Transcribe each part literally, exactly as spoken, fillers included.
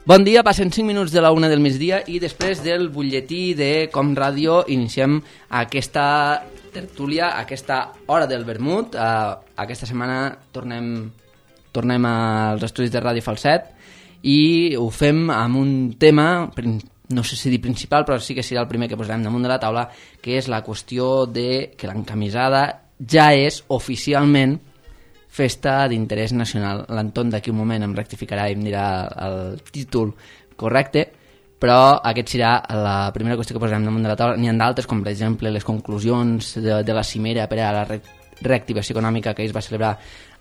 Bon dia, passen cinc minuts de la una del migdia i després del butlletí de Com Ràdio iniciem aquesta tertúlia, aquesta hora del vermut. Uh, aquesta setmana tornem, tornem als estudis de Ràdio Falset i ho fem amb un tema, no sé si dir principal, però sí que serà el primer que posarem damunt de la taula, que és la qüestió de que l'encamisada ja és oficialment festa d'interès nacional. L'Anton d'aquí un moment em rectificarà i em dirà el títol correcte, però aquest serà la primera qüestió que posarem damunt de la taula. N'hi ha d'altres, com per exemple les conclusions de, de la cimera per a la re reactivació econòmica que es va celebrar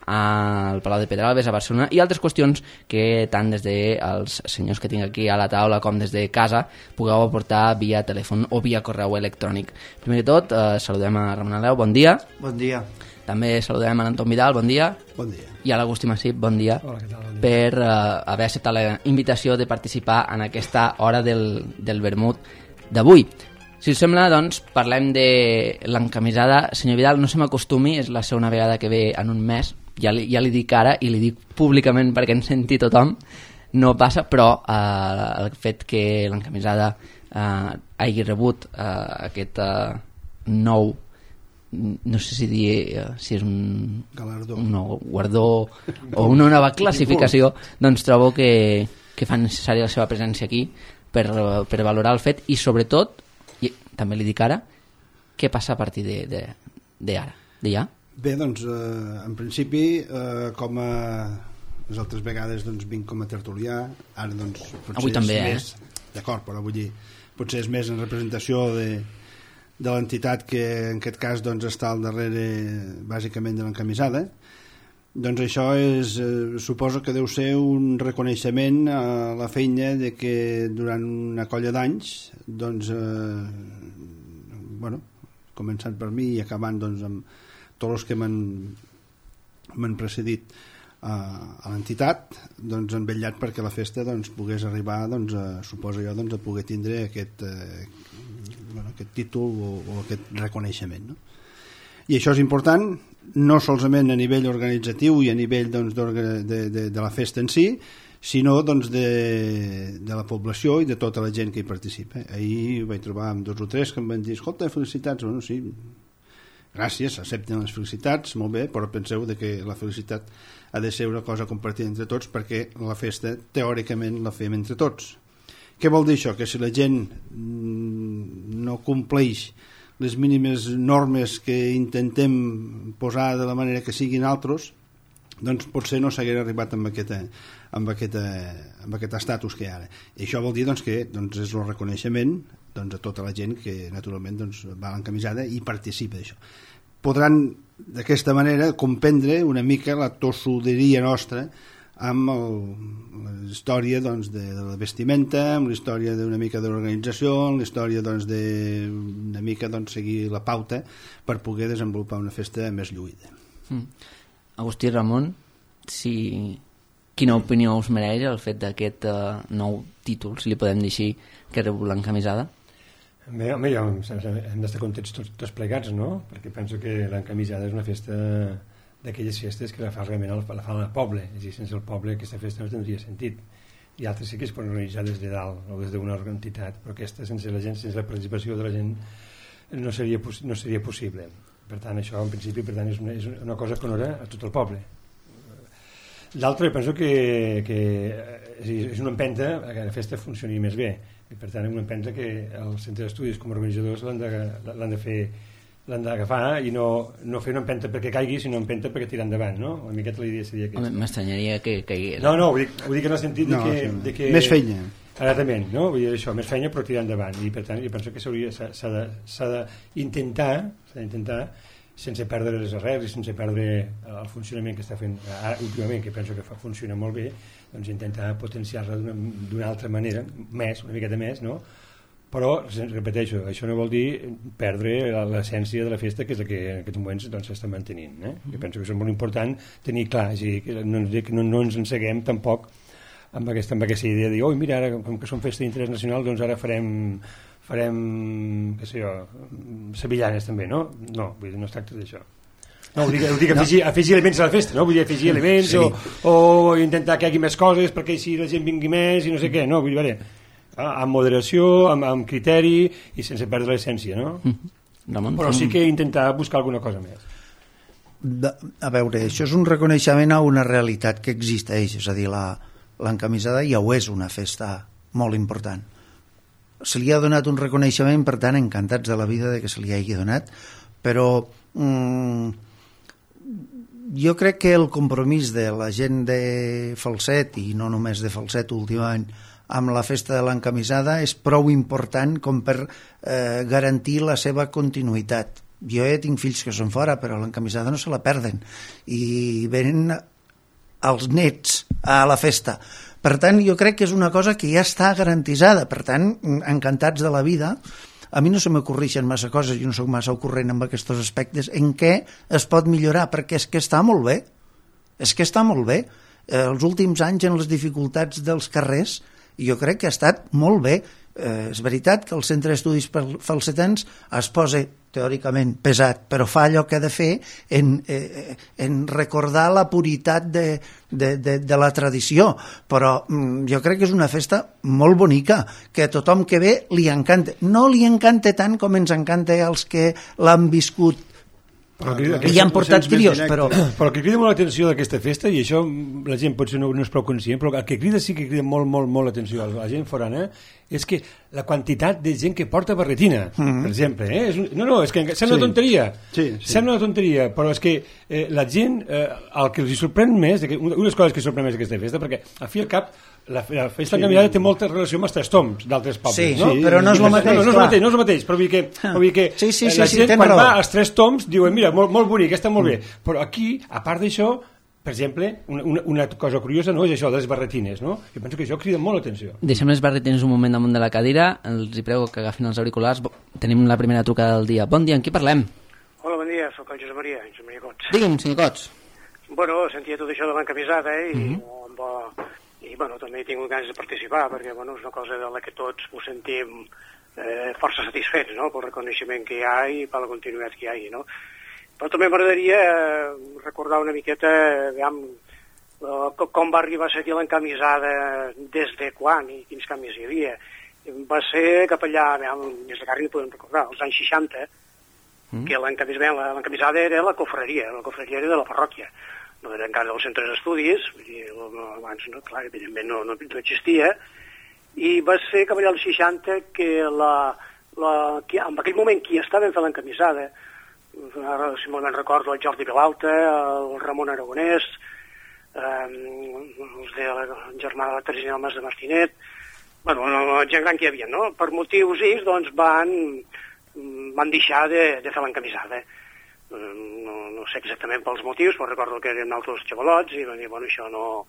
al Palau de Pedralbes a Barcelona, i altres qüestions que tant des dels senyors que tinc aquí a la taula com des de casa pugueu aportar via telèfon o via correu electrònic. Primer de tot, eh, saludem a Ramon Aleu, bon dia. Bon dia. També saludem a l'Anton Vidal, bon dia. Bon dia. I a l'Agustí Massip, bon dia. Hola, què tal? Bon dia. Per uh, haver acceptat la invitació de participar en aquesta hora del, del vermut d'avui. Si us sembla, doncs, parlem de l'encamisada. Senyor Vidal, no se m'acostumi, és la segona vegada que ve en un mes, ja li, ja li dic ara i li dic públicament perquè en senti tothom, no passa, però uh, el fet que l'encamisada uh, hagi rebut uh, aquest uh, nou, no sé si dir uh, si és un, Galardó. un nou guardó o una nova classificació, doncs trobo que, que fa necessària la seva presència aquí per, per valorar el fet i sobretot, i també li dic ara, què passa a partir de, de, de ara, de ja? Bé, doncs, eh, en principi, eh, com a les altres vegades doncs, vinc com a tertulià, ara doncs potser avui també, és eh? més, d'acord, però vull dir, potser és més en representació de de l'entitat que en aquest cas doncs, està al darrere bàsicament de l'encamisada. Doncs això és, eh, suposo que deu ser un reconeixement a la feina de que durant una colla d'anys doncs, eh, bueno, començant per mi i acabant doncs, amb tots els que m'han precedit a, a l'entitat, doncs han vetllat perquè la festa doncs, pogués arribar doncs, a, suposo jo, doncs, a poder tindre aquest eh, bueno, aquest títol o, o aquest reconeixement, no? I això és important no solament a nivell organitzatiu i a nivell doncs, de, de, de la festa en si, sinó doncs, de, de la població i de tota la gent que hi participa. Ahir vaig trobar amb dos o tres que em van dir, escolta, felicitats. Bueno, sí, gràcies, accepten les felicitats, molt bé, però penseu de que la felicitat ha de ser una cosa compartida entre tots perquè la festa teòricament la fem entre tots. Què vol dir això? Que si la gent no compleix les mínimes normes que intentem posar de la manera que siguin altres, doncs potser no s'hagués arribat amb, aquesta, amb, aquesta, amb aquest estatus que hi ha ara. I això vol dir doncs, que doncs, és el reconeixement doncs, a tota la gent que naturalment doncs, va a l'encamisada i participa d'això. Podran d'aquesta manera comprendre una mica la tossuderia nostra amb el, la història doncs, de, de la vestimenta, amb la història d'una mica de l'organització, amb la història doncs, de una mica doncs, seguir la pauta per poder desenvolupar una festa més lluïda. Mm. Agustí, Ramon, si... quina opinió us mereix el fet d'aquest uh, nou títol, si li podem dir així, que rep l'encamisada? Bé, home, jo, hem d'estar contents tots, tots plegats, no? Perquè penso que l'encamisada és una festa d'aquelles festes que la fa realment el, la fa el poble, és a dir, sense el poble aquesta festa no tindria sentit. I altres sí que es poden organitzar des de dalt o des d'una entitat, però aquesta sense la gent, sense la participació de la gent no seria, no seria possible. Per tant, això en principi per tant, és, una, és una cosa que honora a tot el poble. L'altre, penso que, que és una empenta que la festa funcioni més bé, i per tant és una empenta que els centres d'estudis com a organitzadors l'han de, l'han de fer, l'han d'agafar i no, no fer una empenta perquè caigui, sinó empenta perquè tirar endavant, no? Una miqueta la idea seria aquesta. Home, m'estranyaria que caigués. No, no, ho dic, ho dic en el sentit no, de, que, sí. de que... Més feina. Exactament, no? Vull dir això, més feina però tirar endavant, i per tant jo penso que s'ha d'intentar s'ha d'intentar sense perdre les arrels i sense perdre el funcionament que està fent ara, últimament, que penso que fa, funciona molt bé, doncs intentar potenciar-la d'una altra manera, més, una miqueta més, no? Però, repeteixo, això no vol dir perdre l'essència de la festa, que és la que en aquests moments doncs, s'està mantenint. Eh? Jo penso que és molt important tenir clar, és a dir, que no, no, no ens enseguem tampoc amb aquesta, amb aquesta idea de dir, oh, mira, ara, com que som festa d'interès nacional, doncs ara farem farem, què sé jo, sevillanes també, no? No, vull dir, no es tracta d'això. No, ho dic, ho dic afegir, no. afegir elements a la festa, no? Vull dir, afegir elements sí. o, o intentar que hi hagi més coses perquè així la gent vingui més i no sé què, no? Vull dir, veure, amb moderació, amb, amb criteri i sense perdre l'essència, no? Mm. Ramon, però sí que intentar buscar alguna cosa més. De, a veure, això és un reconeixement a una realitat que existeix, és a dir, la, l'encamisada ja ho és una festa molt important. Se li ha donat un reconeixement, per tant, encantats de la vida de que se li hagi donat, però mm, jo crec que el compromís de la gent de Falset, i no només de Falset últimament, amb la festa de l'encamisada és prou important com per eh, garantir la seva continuïtat. Jo ja tinc fills que són fora, però l'encamisada no se la perden i venen els nets a la festa. Per tant, jo crec que és una cosa que ja està garantitzada. Per tant, encantats de la vida. A mi no se m'ocorreixen massa coses, jo no soc massa ocorrent amb aquests aspectes, en què es pot millorar, perquè és que està molt bé. És que està molt bé. Eh, els últims anys, en les dificultats dels carrers, jo crec que ha estat molt bé. Eh, és veritat que el Centre d'Estudis Falsetans es posa teòricament pesat, però fa allò que ha de fer en, eh, en recordar la puritat de, de, de, de la tradició, però mm, jo crec que és una festa molt bonica, que a tothom que ve li encanta. No li encanta tant com ens encanta als que l'han viscut però que, que hi han portat trios, però... Però el que crida molt l'atenció d'aquesta festa, i això la gent potser no, no és prou conscient, però el que crida sí que crida molt, molt, molt l'atenció a la gent forana, és que la quantitat de gent que porta barretina, mm-hmm. per exemple, eh? És un... no, no, és que sembla sí. una tonteria, sí, sí. sembla una tonteria, però és que eh, la gent, eh, el que els sorprèn més, que, unes coses que sorprèn més d'aquesta festa, perquè al fi i al cap la, la festa sí. encaminada té molta relació amb els trastorns d'altres pobles, sí, no? Sí, però no és el mateix, no, no, no, és el mateix, no és el mateix, però vull dir que, vull dir que sí, sí, sí, la gent sí, quan raó. va als tres toms diuen, mira, molt, molt bonic, està molt bé, però aquí, a part d'això, per exemple, una, una, una cosa curiosa no és això de les barretines, no? Jo penso que això crida molt l'atenció. Deixem les barretines un moment damunt de la cadira, els hi prego que agafin els auriculars. Tenim la primera trucada del dia. Bon dia, amb qui parlem? Hola, bon dia, soc el Josep Maria, Josep Maria Cots. Digue'm, senyor Cots. Bueno, sentia tot això de l'encamisada, eh, i, Mm-hmm. amb, i bueno, també he tingut ganes de participar, perquè bueno, és una cosa de la que tots ho sentim eh, força satisfets, no?, pel reconeixement que hi ha i per la continuïtat que hi ha, no? Però també m'agradaria eh, recordar una miqueta veiem, eh, com va arribar a ser l'encamisada, des de quan i quins canvis hi havia. Va ser cap allà, veiem, des de Carri podem recordar, als anys seixanta, mm. que l'encamisada era la cofreria, la cofreria era de la parròquia, no era encara dels centres d'estudis, abans, no, clar, evidentment no, no, no existia, i va ser cap allà als seixanta que, la, la, que en aquell moment qui estava fent l'encamisada, ara si me'n recordo el Jordi Vilalta, el Ramon Aragonès, eh, els de la germana de Teresina Mas de Martinet, bueno, la gent gran que hi havia, no? Per motius X, doncs van, van deixar de, de fer l'encamisada. No, no sé exactament pels motius, però recordo que eren altres xavalots i van dir, bueno, això no,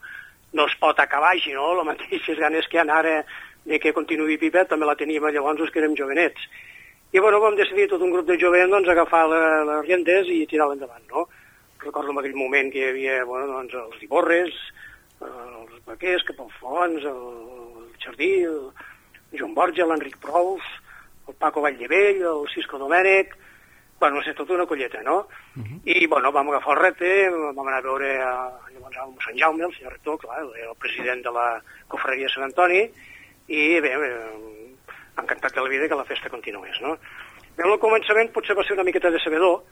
no es pot acabar així, no? Les mateixes ganes que hi ha ara de que continuï Pipet també la teníem llavors els que érem jovenets. I bueno, vam decidir tot un grup de jovents doncs, agafar la, les riendes i tirar-la endavant, no? Recordo en aquell moment que hi havia bueno, doncs, els Diborres, els Baquers, Capalfons, el, el Jardí, el Joan Borja, l'Enric Prous, el Paco Valldevell, el Cisco Domènech, bueno, no sé, tota una colleta, no? Uh-huh. I, bueno, vam agafar el repte, vam anar a veure a, llavors, a Sant Jaume, el senyor rector, clar, el president de la cofreria de Sant Antoni, i bé, encantat de la vida que la festa continués, no? Bé, al començament potser va ser una miqueta decebedor,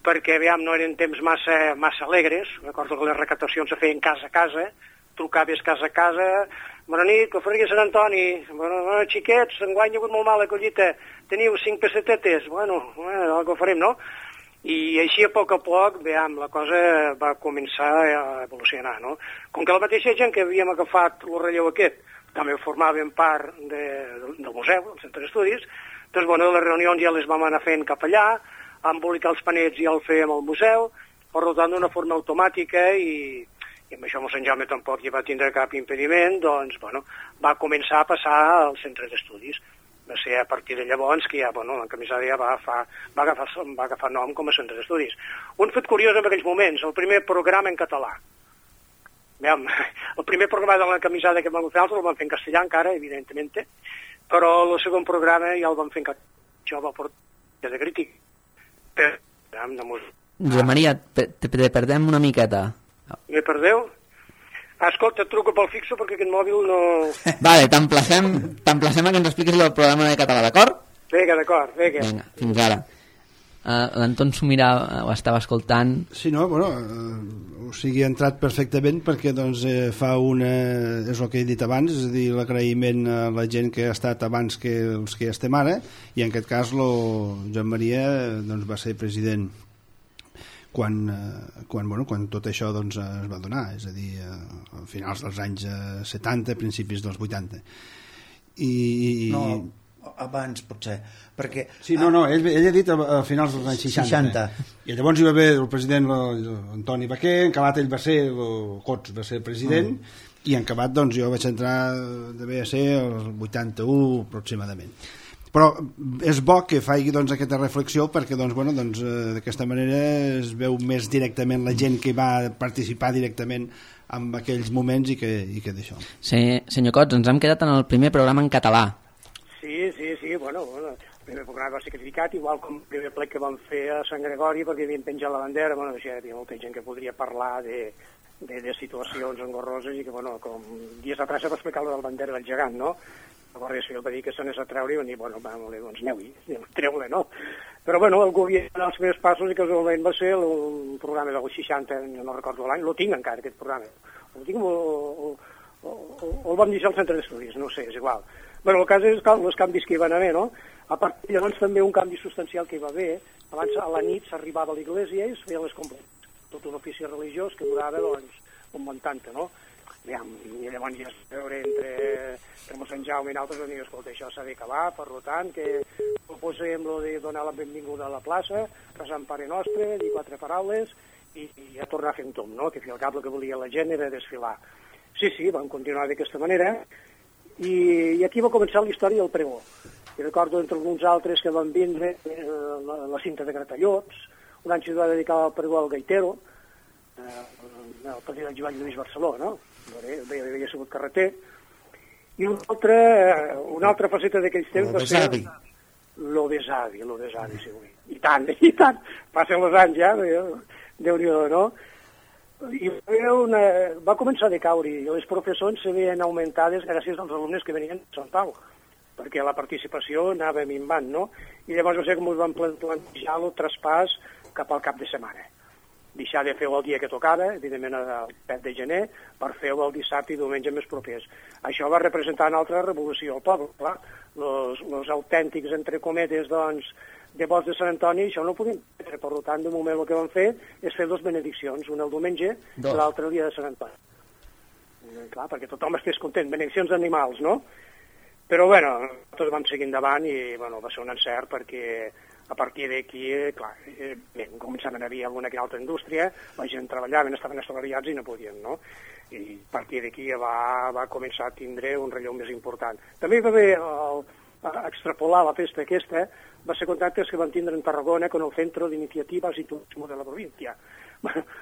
perquè, veiem, no eren temps massa, massa alegres, recordo que les recaptacions se feien casa a casa, trucaves casa a casa, bona nit, cofreria Sant Antoni, bueno, bueno xiquets, enguany hi ha hagut molt mala collita, teniu cinc pessetetes, bueno, bueno, el que farem, no? I així a poc a poc, veiem, la cosa va començar a evolucionar, no? Com que la mateixa gent que havíem agafat el relleu aquest, també formaven part de, del museu, del centre d'estudis, doncs, bueno, les reunions ja les vam anar fent cap allà, embolicar els panets ja el fèiem al museu, per tant d'una forma automàtica i, i amb això Sant Jaume tampoc hi va tindre cap impediment, doncs, bueno, va començar a passar al centre d'estudis. Va ser a partir de llavors que ja, bueno, l'encamisada ja va, fa, va, agafar, va agafar nom com a centre d'estudis. Un fet curiós en aquells moments, el primer programa en català. Veiem, el primer programa de l'encamisada que vam fer altres el vam fer en castellà encara, evidentment, però el segon programa ja el vam fer en català. Això va portar de crític. Però, veiem, de música Josep Maria, te, te, te perdem una miqueta. Me perdeu? Ah, escolta, et truco pel fixo perquè aquest mòbil no... Vale, t'emplacem t'emplacem a que ens expliquis el programa de català, d'acord? Vinga, d'acord, vinga. Vinga, fins ara. Uh, L'Anton s'ho mirava, ho estava escoltant. Sí, no, bueno, eh, o sigui, ha entrat perfectament perquè doncs, eh, fa una... és el que he dit abans, és a dir, l'agraïment a la gent que ha estat abans que els que ja estem ara, i en aquest cas lo Joan Maria doncs, va ser president quan, eh, quan, bueno, quan tot això doncs, es va donar, és a dir, eh, a finals dels anys setanta, principis dels vuitanta. I... No, abans potser, perquè... Sí, no, no, ell, ell ha dit a, a finals dels anys seixanta. seixanta. I llavors hi va haver el president Antoni Baquer, en acabat ell va ser, el Cots va ser president, mm. i en acabat doncs, jo vaig entrar, devia ser el vuitanta-u aproximadament. Però és bo que faci doncs, aquesta reflexió perquè doncs, bueno, doncs, eh, d'aquesta manera es veu més directament la gent que va participar directament en aquells moments i que, i que d'això. Sí, senyor Cots, ens hem quedat en el primer programa en català. Sí, sí, sí, bueno, bueno, el primer programa va ser criticat, igual com el primer ple que vam fer a Sant Gregori, perquè havien penjat la bandera, bueno, hi havia molta gent que podria parlar de, de, de situacions engorroses i que, bueno, com dies atrás se va explicar la bandera del gegant, no? La Guàrdia Civil va dir que s'anés a treure i van dir, bueno, va, doncs aneu-hi, treu-la, no? Però, bueno, el govern dels primers passos i casualment va ser el programa del seixanta, no recordo l'any, lo tinc encara, aquest programa. El tinc o, o, o, o el vam deixar al centre d'estudis, no sé, és igual. Bueno, el cas és que els canvis que hi van haver, no? A part, llavors també un canvi substancial que hi va haver, abans a la nit s'arribava a l'església i es feien les completes, tot un ofici religiós que durava, doncs, un vuitanta, no? I llavors ja es veure entre, entre mossèn Jaume i altres, van dir, escolta, això s'ha d'acabar, per tant, que proposem lo de donar la benvinguda a la plaça, resar en Pare Nostre, dir quatre paraules i, i a tornar a fer un tomb, no? Que al cap el que volia la gent era desfilar. Sí, sí, vam continuar d'aquesta manera, I, i aquí va començar la història del pregó. I recordo entre alguns altres que van vindre eh, la, la cinta de Gratallots, un any s'hi va dedicar al pregó al Gaitero, eh, el president Joan Lluís Barceló, no? Havia, havia sigut carreter. I un altre, una altra faceta d'aquells temps va ser lo besavi, lo besavi, sí, i tant, i tant, passen els anys ja, Déu-n'hi-do, no? I una, va començar a decaure i les professors se veien augmentades gràcies als alumnes que venien de Sant Pau, perquè la participació anava minvant, no? I llavors va ser com us van plantejar el traspàs cap al cap de setmana. Deixar de fer-ho el dia que tocava, evidentment el set de gener, per fer-ho el dissabte i diumenge més propers. Això va representar una altra revolució al poble, clar. Els autèntics, entre cometes, doncs, de vots de Sant Antoni, això no ho podem fer. Per tant, de moment el que vam fer és fer dues benediccions, una el diumenge i l'altra el dia de Sant Antoni. Eh, clar, perquè tothom estés content. Benediccions d'animals, no? Però, bueno, tots vam seguir endavant i, bueno, va ser un encert perquè a partir d'aquí, clar, eh, bé, començaven a haver alguna que altra indústria, la gent treballaven, estaven assalariats i no podien, no? I a partir d'aquí va, va començar a tindre un relleu més important. També va haver el, a extrapolar la festa aquesta, va ser contactes que van tindre en Tarragona con el Centro d'Iniciatives i Turismo de la província.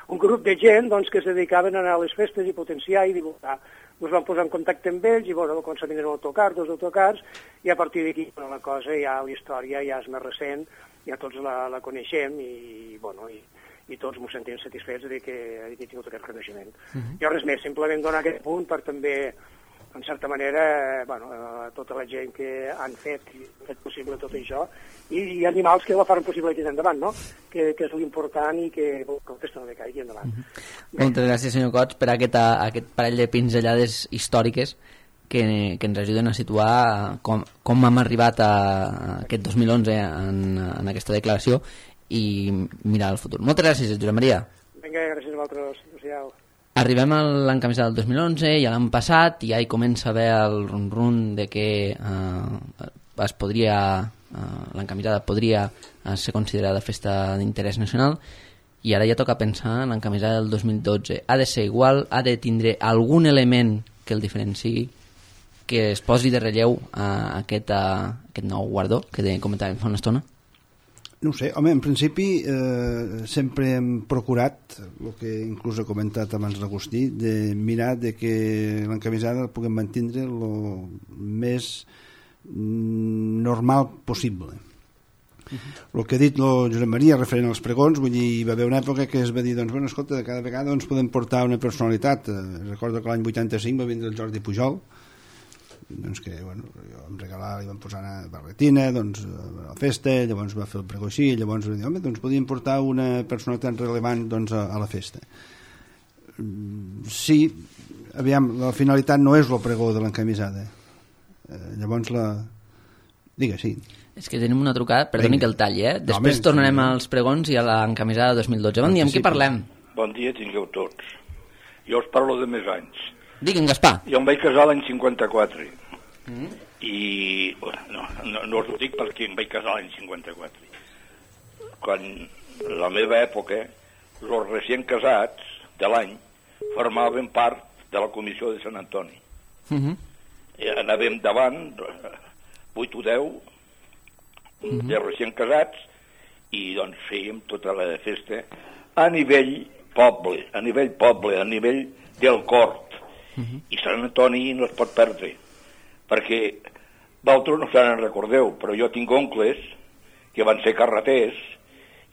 Un grup de gent doncs, que es dedicaven a anar a les festes i potenciar i divulgar. Ens vam posar en contacte amb ells i bueno, va començar a vindre un autocar, dos autocars, i a partir d'aquí bueno, la cosa ja, la història ja és més recent, ja tots la, la coneixem i, bueno, i, i tots ens sentim satisfets de que, de que he tingut aquest reconeixement. Uh -huh. Jo res més, simplement donar aquest punt per també en certa manera, bueno, a tota la gent que han fet, fet possible tot això, i, i animals que la faran possible aquí endavant, no? Que, que és l'important i que, que el test no decaigui endavant. Uh-huh. Moltes gràcies, senyor Cots, per aquest, aquest parell de pinzellades històriques que, que ens ajuden a situar com, com hem arribat a aquest dos mil onze en, en aquesta declaració i mirar el futur. Moltes gràcies, Josep Maria. Vinga, gràcies a vosaltres. Adéu. Arribem a l'any camisada del dos mil onze, ja l'han passat, i ja hi comença a haver el rum-rum de que eh, es podria, eh, l'encamisada podria eh, ser considerada festa d'interès nacional, i ara ja toca pensar en l'encamisada del dos mil dotze. Ha de ser igual, ha de tindre algun element que el diferenciï, que es posi de relleu a aquest, a aquest nou guardó que comentàvem fa una estona? No ho sé, home, en principi eh, sempre hem procurat, el que inclús he comentat abans l'Agustí, de mirar de que l'encamisada la puguem mantindre el més normal possible. El que ha dit el Josep Maria referent als pregons, vull dir, hi va haver una època que es va dir, doncs, bueno, escolta, cada vegada doncs, podem portar una personalitat. Eh, recordo que l'any vuitanta-cinc va vindre el Jordi Pujol, doncs que, bueno, jo em regalava, li vam posar una barretina, doncs, a la festa, llavors va fer el pregó així, llavors va dir, home, doncs podíem portar una personalitat rellevant, doncs, a, a la festa. Sí, aviam, la finalitat no és el pregó de l'encamisada. Eh, llavors la... Digue, sí. És que tenim una trucada, perdoni que el talli, eh? Després no, tornarem sí. als pregons i a l'encamisada dos mil dotze. Bon dia, amb qui parlem? Bon dia, tingueu tots. Jo us parlo de més anys. Digue'm, Gaspar. Jo em vaig casar l'any cinquanta-quatre. Mm. I, bueno, no, no, no us ho dic perquè em vaig casar l'any cinquanta-quatre. Quan la meva època, els recient casats de l'any formaven part de la comissió de Sant Antoni. Mm-hmm. I anàvem davant, vuit o deu, mm-hmm. de recient casats, i doncs fèiem tota la festa a nivell poble, a nivell poble, a nivell del cort. Mm-hmm. I Sant Antoni no es pot perdre, perquè vosaltres no se'n recordeu, però jo tinc oncles que van ser carreters,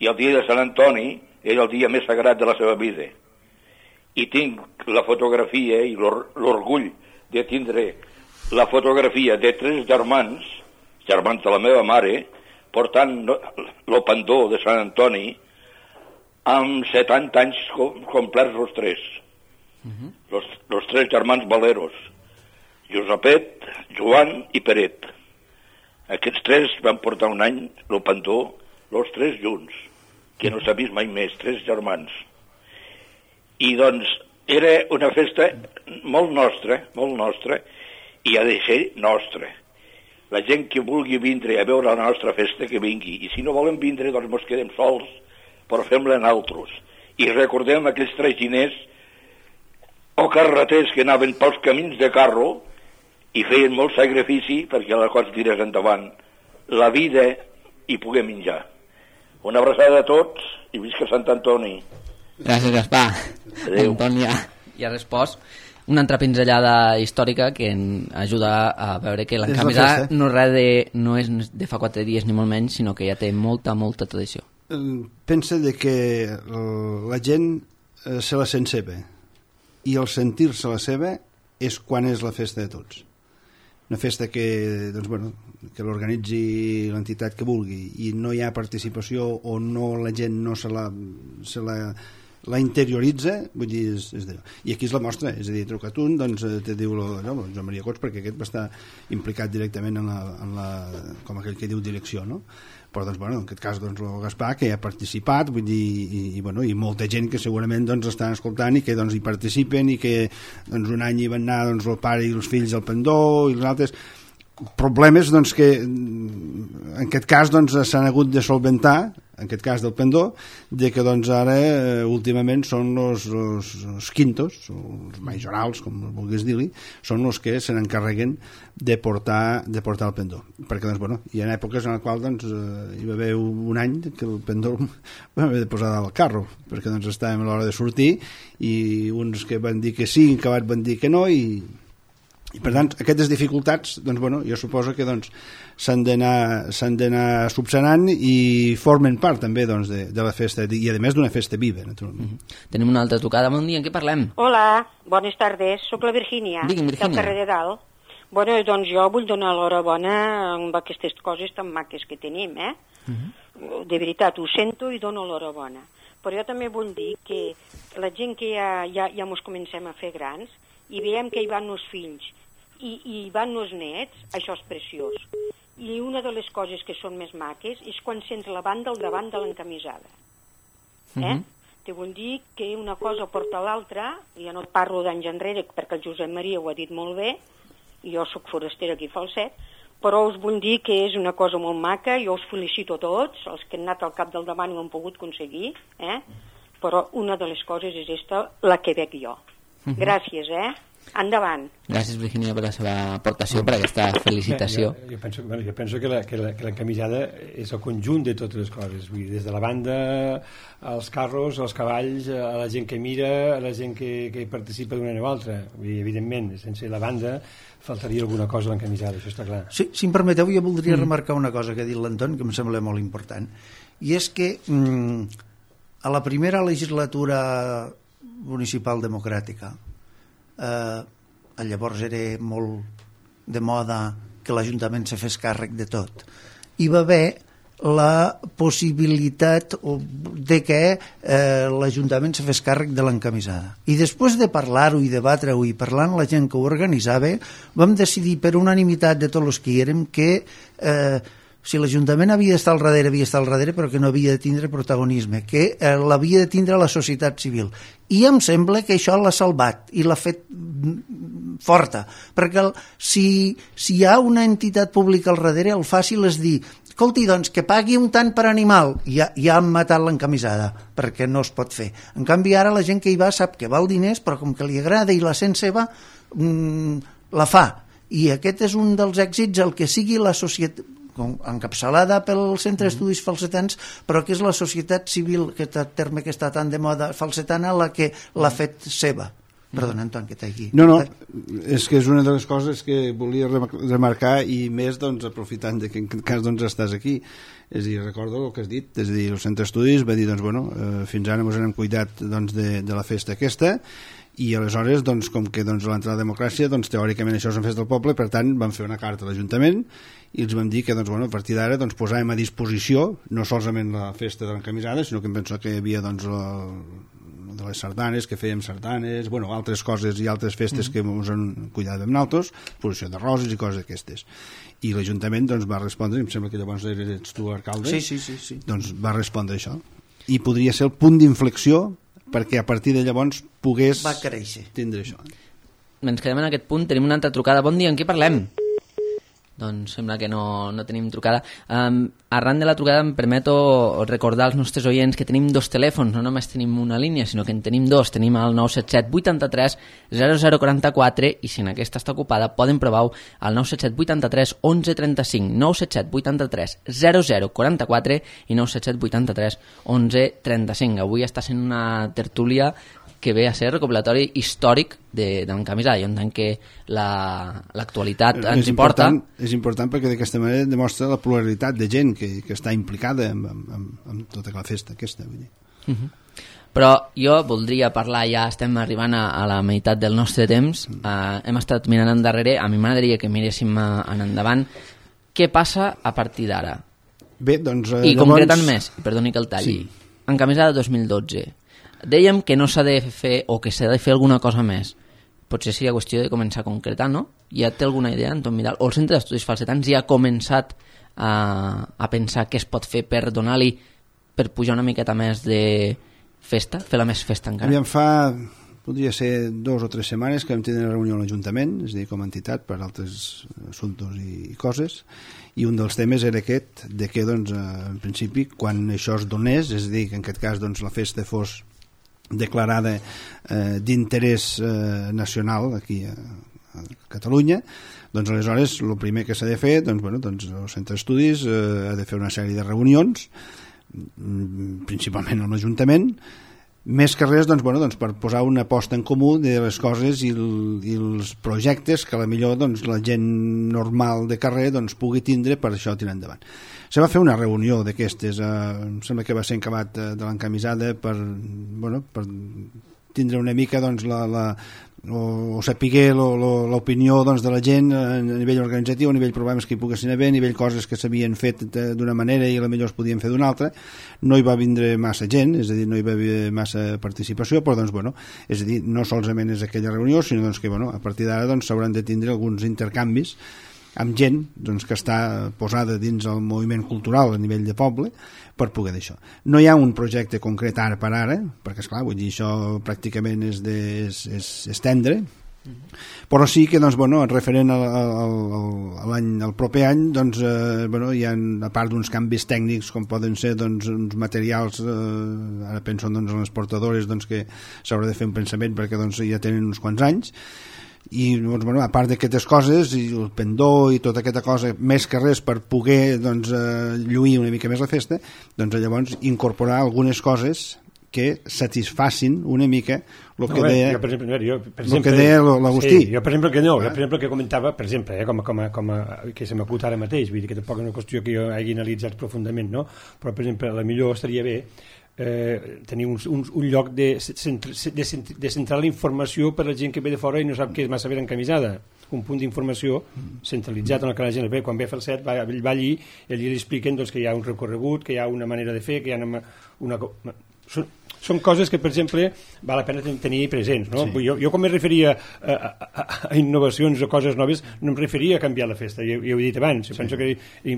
i el dia de Sant Antoni era el dia més sagrat de la seva vida. I tinc la fotografia i l'orgull de tindre la fotografia de tres germans, germans de la meva mare, portant el pendó de Sant Antoni amb setanta anys complerts els tres. Uh-huh. Los, los tres germans Valeros, Josepet, Joan i Peret. Aquests tres van portar un any el pendó, els tres junts, que no s'ha vist mai més, tres germans. I doncs era una festa molt nostra, molt nostra, i ha de ser nostra. La gent que vulgui vindre a veure la nostra festa, que vingui. I si no volen vindre, doncs mos quedem sols, però fem-la en altres. I recordem aquells traginers o carreters que anaven pels camins de carro i feien molt sacrifici perquè la cosa tirés endavant. La vida hi puguem menjar. Una abraçada a tots i visca Sant Antoni. Gràcies, Gaspar. Adéu. Antònia. I ha respost una altra pinzellada històrica que ajuda a veure que l'encamisada no, de, no és de fa quatre dies ni molt menys, sinó que ja té molta, molta tradició. Pensa de que la gent se la sent seva i el sentir-se la seva és quan és la festa de tots. Una festa que, doncs, bueno, que l'organitzi l'entitat que vulgui i no hi ha participació o no la gent no se la, se la la interioritza, vull dir, és, és d'allò. I aquí és la mostra, és a dir, trucat un, doncs te diu el, no, el Joan Maria Cots, perquè aquest va estar implicat directament en la, en la, com aquell que diu direcció, no? Però, doncs, bueno, en aquest cas, doncs, el Gaspar, que hi ha participat, vull dir, i, i, bueno, i molta gent que segurament, doncs, estan escoltant i que, doncs, hi participen i que, doncs, un any hi van anar, doncs, el pare i els fills al pendó i els altres problemes, doncs, que en aquest cas, doncs, s'han hagut de solventar, en aquest cas del pendó, de que doncs ara eh, últimament són els, els, els quintos, els majorals, com vulguis dir-li, són els que se n'encarreguen de portar, de portar el pendó. Perquè doncs, bueno, hi ha èpoques en les quals doncs, eh, hi va haver un any que el pendó va haver de posar al carro, perquè doncs, estàvem a l'hora de sortir i uns que van dir que sí, que van dir que no, i I per tant, aquestes dificultats, doncs, bueno, jo suposo que doncs, s'han d'anar s'han d'anar subsanant i formen part també doncs, de, de la festa, i a més d'una festa viva, naturalment. Mm-hmm. Tenim una altra tocada, bon dia, en què parlem? Hola, bones tardes, sóc la Virgínia, Digui'm, Virgínia. del carrer de Dalt. Bueno, doncs jo vull donar l'horabona amb aquestes coses tan maques que tenim, eh? Mm-hmm. De veritat, ho sento i dono l'horabona. Però jo també vull dir que la gent que ja, ja, ja mos comencem a fer grans i veiem que hi van els fills i, i van els nets, això és preciós. I una de les coses que són més maques és quan sents la banda al davant de l'encamisada. Eh? Mm-hmm. Te vull dir que una cosa porta l'altra, ja no et parlo d'anys enrere perquè el Josep Maria ho ha dit molt bé, i jo sóc forastera aquí a Falset, però us vull dir que és una cosa molt maca, jo us felicito a tots, els que han anat al cap del davant i ho han pogut aconseguir, eh? Però una de les coses és esta, la que veig jo. Mm-hmm. Gràcies, eh? Endavant. Gràcies, Virginia, per la seva aportació, per aquesta felicitació. Jo, jo, penso, bueno, jo penso que la, que, la, que l'encamisada és el conjunt de totes les coses, vull dir, des de la banda, als carros, als cavalls, a la gent que mira, a la gent que, que participa d'una o altra. Vull dir, evidentment, sense la banda faltaria alguna cosa a l'encamisada, això està clar. Sí, si em permeteu, jo voldria mm. remarcar una cosa que ha dit l'Anton, que em sembla molt important, i és que mm, a la primera legislatura municipal democràtica, eh, llavors era molt de moda que l'Ajuntament se fes càrrec de tot. Hi va haver la possibilitat de que eh, l'Ajuntament se fes càrrec de l'encamisada. I després de parlar-ho i debatre-ho i parlar amb la gent que ho organitzava, vam decidir per unanimitat de tots els que hi érem que eh, si l'Ajuntament havia d'estar al darrere, havia d'estar al darrere, però que no havia de tindre protagonisme, que eh, l'havia de tindre la societat civil. I em sembla que això l'ha salvat i l'ha fet forta, perquè el, si, si hi ha una entitat pública al darrere, el fàcil és dir, escolti, doncs, que pagui un tant per animal, i ja, ja han matat l'encamisada, perquè no es pot fer. En canvi, ara la gent que hi va sap que val diners, però com que li agrada i la sent seva, mmm, la fa. I aquest és un dels èxits, el que sigui la societat encapçalada pel Centre d'Estudis Falsetans, però que és la societat civil, que el terme que està tan de moda falsetana, la que l'ha fet seva. Perdona, Anton, que t'hagi... No, no, és que és una de les coses que volia remarcar, i més doncs, aprofitant de que en aquest cas doncs, estàs aquí. És a dir, recordo el que has dit, és a dir, el Centre d'Estudis va dir, doncs, bueno, eh, fins ara ens hem cuidat doncs, de, de la festa aquesta, i aleshores, doncs, com que doncs, l'entrada de democràcia, doncs, teòricament això és una festa del poble, per tant, van fer una carta a l'Ajuntament i els vam dir que doncs, bueno, a partir d'ara doncs, posàvem a disposició no solament la festa de l'encamisada, sinó que em penso que hi havia doncs, la, de les sardanes, que fèiem sardanes, bueno, altres coses i altres festes mm. que ens han cuidat amb nosaltres, posició de roses i coses d'aquestes. I l'Ajuntament doncs, va respondre, em sembla que llavors eres tu alcalde, sí, sí, sí, sí. doncs va respondre això. I podria ser el punt d'inflexió perquè a partir de llavors pogués va créixer. Tindre això. Ens quedem en aquest punt, tenim una altra trucada. Bon dia, en què parlem? Doncs sembla que no, no tenim trucada. Um, arran de la trucada em permeto recordar als nostres oients que tenim dos telèfons, no només tenim una línia, sinó que en tenim dos. Tenim el nou set set vuitanta-tres zero zero quaranta-quatre i si en aquesta està ocupada poden provar el nou set set vuitanta-tres onze trenta-cinc, nou set set vuitanta-tres zero zero quaranta-quatre i nou set set vuitanta-tres onze trenta-cinc. Avui està sent una tertúlia que ve a ser recopilatori històric de, de l'encamisada. Jo entenc que l'actualitat la, ens hi porta. És important perquè d'aquesta manera demostra la pluralitat de gent que, que està implicada en, en, en tota la festa aquesta. Vull dir. Uh -huh. Però jo voldria parlar, ja estem arribant a, a la meitat del nostre temps, uh, hem estat mirant endarrere, a mi m'agradaria que miréssim en endavant. Què passa a partir d'ara? Bé, doncs... Eh, I llavors... concretant més, perdoni que el talli, sí. Encamisada dos mil dotze. Dèiem que no s'ha de fer o que s'ha de fer alguna cosa més. Potser seria qüestió de començar a concretar, no? Ja té alguna idea, Anton Vidal? O el Centre d'Estudis Falsetans ja ha començat a, a pensar què es pot fer per donar-li, per pujar una miqueta més de festa, fer-la més festa encara? Aviam, fa, podria ser dos o tres setmanes que vam tenir una reunió a l'Ajuntament, és a dir, com a entitat, per altres assumptes i, i coses, i un dels temes era aquest, de que, doncs, en principi, quan això es donés, és a dir, que en aquest cas doncs, la festa fos declarada eh, d'interès eh, nacional aquí a, a Catalunya, doncs aleshores el primer que s'ha de fer, doncs, bueno, doncs el Centre d'Estudis eh, ha de fer una sèrie de reunions, principalment amb l'Ajuntament, més que res doncs, bueno, doncs, per posar una posta en comú de les coses i, el, i els projectes que a la millor doncs, la gent normal de carrer doncs, pugui tindre per això tirar endavant. Se va fer una reunió d'aquestes, eh, em sembla que va ser encabat eh, de l'encamisada per, bueno, per tindre una mica doncs, la, la, o, o saber l'opinió doncs, de la gent a nivell organitzatiu, a nivell problemes que hi poguessin haver, a nivell coses que s'havien fet d'una manera i a la millor es podien fer d'una altra. No hi va vindre massa gent, és a dir, no hi va haver massa participació, però doncs, bueno, és a dir, no solament és aquella reunió, sinó doncs, que bueno, a partir d'ara doncs, s'hauran de tindre alguns intercanvis amb gent doncs, que està posada dins el moviment cultural a nivell de poble per poder d'això. No hi ha un projecte concret ara per ara, perquè esclar, vull dir, això pràcticament és, de, és, és, és tendre, però sí que doncs, bueno, referent al, al, al, l'any, al proper any doncs, eh, bueno, hi ha, a part d'uns canvis tècnics com poden ser doncs, uns materials, eh, ara penso doncs, en les portadores doncs, que s'haurà de fer un pensament perquè doncs, ja tenen uns quants anys. i doncs, bueno, a part d'aquestes coses i el pendó i tota aquesta cosa, més que res per poder doncs, eh, lluir una mica més la festa, doncs llavors incorporar algunes coses que satisfacin una mica el que no, deia jo, per exemple, jo, per exemple, el que deia l'Agustí. Sí, jo, per exemple, que no, jo, per exemple, que comentava, per exemple, eh, com, a, com, a, com a, que se m'acut ara mateix, vull dir que tampoc és una qüestió que jo hagi analitzat profundament, no? Però, per exemple, a la millor estaria bé eh, tenir un, un, un lloc de, de, de centrar la informació per a la gent que ve de fora i no sap que és massa ben encamisada, un punt d'informació centralitzat en el que la gent ve, quan ve a fer el set va, va allí i allí li expliquen doncs, que hi ha un recorregut, que hi ha una manera de fer, que hi ha una... una són, són coses que, per exemple, val la pena tenir presents, no? Sí. Jo, jo quan me referia a, a, a innovacions o coses noves, no em referia a canviar la festa, ja, ja ho he dit abans, sí. Penso que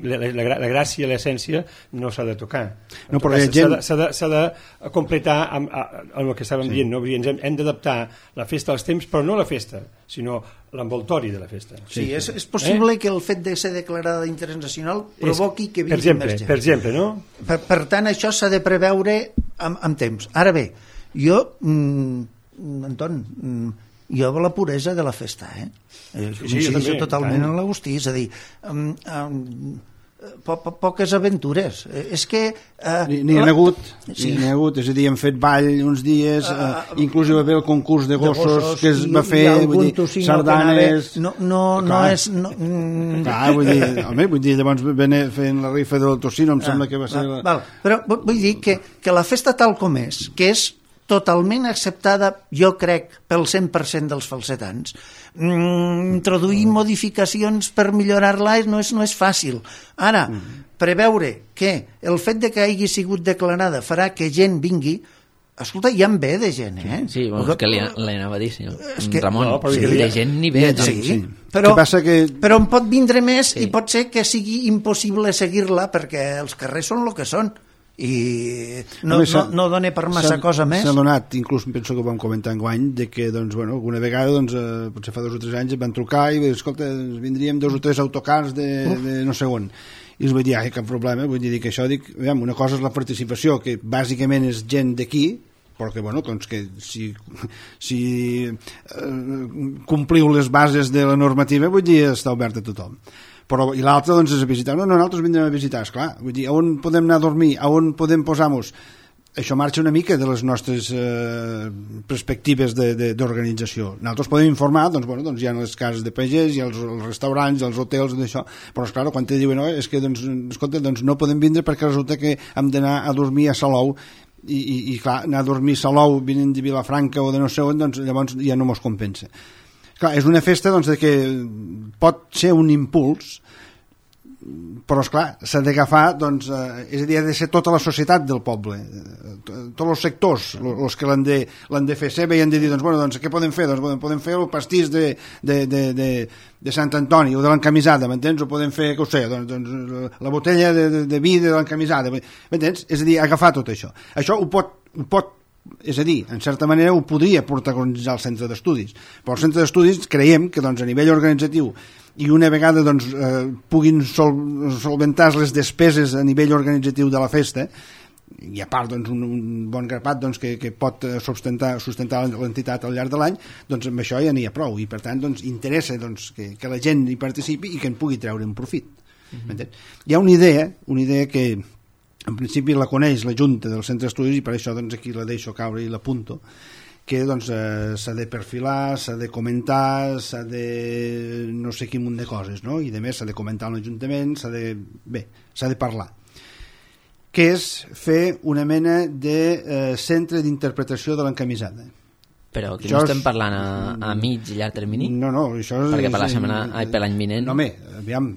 la, la, la gràcia, l'essència, no s'ha de tocar. No, però s'ha gent... de, de, de completar amb, amb el que estàvem sí. dient, no? Ens hem, hem d'adaptar la festa als temps, però no la festa, sinó l'envoltori de la festa. Sí, sí. És, és possible eh? que el fet de ser declarada d'interès nacional provoqui que vingui per exemple, més gent. Per exemple, no? Per, per tant, això s'ha de preveure amb, amb temps. Ara bé, jo, mm, Anton, mm, jo la puresa de la festa, eh? eh sí, jo també, totalment en l'Agustí, és a dir, um, um, po po poques aventures. Eh, és que... Eh, N'hi ha hagut, sí. n'hi ha hagut, és a dir, hem fet ball uns dies, uh, uh, inclús hi va haver el concurs de gossos, de gossos que es va fer, vull dir, sardanes... No, no, no és... No, mm... Clar, vull dir, home, vull dir, llavors venen fent la rifa del tocino, em ah, sembla que va ser... Ah, la... val. Però vull dir que, que la festa tal com és, que és totalment acceptada, jo crec, pel cent per cent dels falsetans. Mm, introduir modificacions per millorar-la no és, no és fàcil. Ara, preveure que el fet de que hagi sigut declarada farà que gent vingui, escolta, ja en ve de gent, eh? Sí, bueno, és que li, li anava a dir, senyor que, Ramon, no, sí, de gent ni ve. Sí, Sí, sí. Però, que passa que... però en pot vindre més sí. i pot ser que sigui impossible seguir-la perquè els carrers són el que són i no, no, no dona per massa cosa més. S'ha donat, inclús penso que ho vam comentar enguany, de que doncs, bueno, alguna vegada doncs, eh, potser fa dos o tres anys em van trucar i escolta, vindríem dos o tres autocars de, de no sé on, i els vaig dir, ai, cap problema, vull dir que això, dic, veiem, una cosa és la participació, que bàsicament és gent d'aquí, però que, bueno, doncs que si, si eh, compliu les bases de la normativa, vull dir, està obert a tothom. Però, i l'altre doncs és a visitar, no, no, nosaltres vindrem a visitar, esclar, vull dir, on podem anar a dormir, on podem posar-nos, això marxa una mica de les nostres eh, perspectives d'organització. Nosaltres podem informar, doncs, bueno, doncs hi ha les cases de pagès, hi ha els, els restaurants, els hotels, d'això, però esclar, quan te diuen, no, és que, doncs, escolta, doncs no podem vindre perquè resulta que hem d'anar a dormir a Salou, i, i, i clar, anar a dormir a Salou venint de Vilafranca o de no sé on, doncs llavors ja no mos compensa. Clar, és una festa doncs, de que pot ser un impuls, però esclar, s'ha d'agafar, doncs, eh, és a dir, ha de ser tota la societat del poble, tots els sectors, els que l'han de, l'han de fer seva i han de dir, doncs, bueno, doncs, què podem fer? Doncs podem fer el pastís de, de, de, de, de Sant Antoni o de l'encamisada, m'entens? O podem fer, què ho sé, doncs, doncs la botella de, de, de vi de l'encamisada, m'entens? És a dir, agafar tot això. Això ho pot, ho pot és a dir, en certa manera ho podria protagonitzar el centre d'estudis, però el centre d'estudis creiem que doncs, a nivell organitzatiu i una vegada doncs, eh, puguin sol, solventar les despeses a nivell organitzatiu de la festa, i a part doncs, un, un bon grapat doncs, que, que pot sustentar, sustentar l'entitat al llarg de l'any, doncs amb això ja n'hi ha prou, i per tant doncs, interessa doncs, que, que la gent hi participi i que en pugui treure un profit. Mm-hmm. Hi ha una idea, una idea que en principi la coneix la Junta del Centre d'Estudis i per això doncs, aquí la deixo caure i l'apunto, que doncs, eh, s'ha de perfilar, s'ha de comentar, s'ha de no sé quin munt de coses, no? I de més s'ha de comentar en l'Ajuntament, s'ha de... bé, s'ha de parlar. Que és fer una mena de eh, centre d'interpretació de l'encamisada. Però aquí això no estem parlant a, a mig i llarg termini? No, no, això és... Perquè per la setmana, ai, per l'any vinent... No, home, aviam,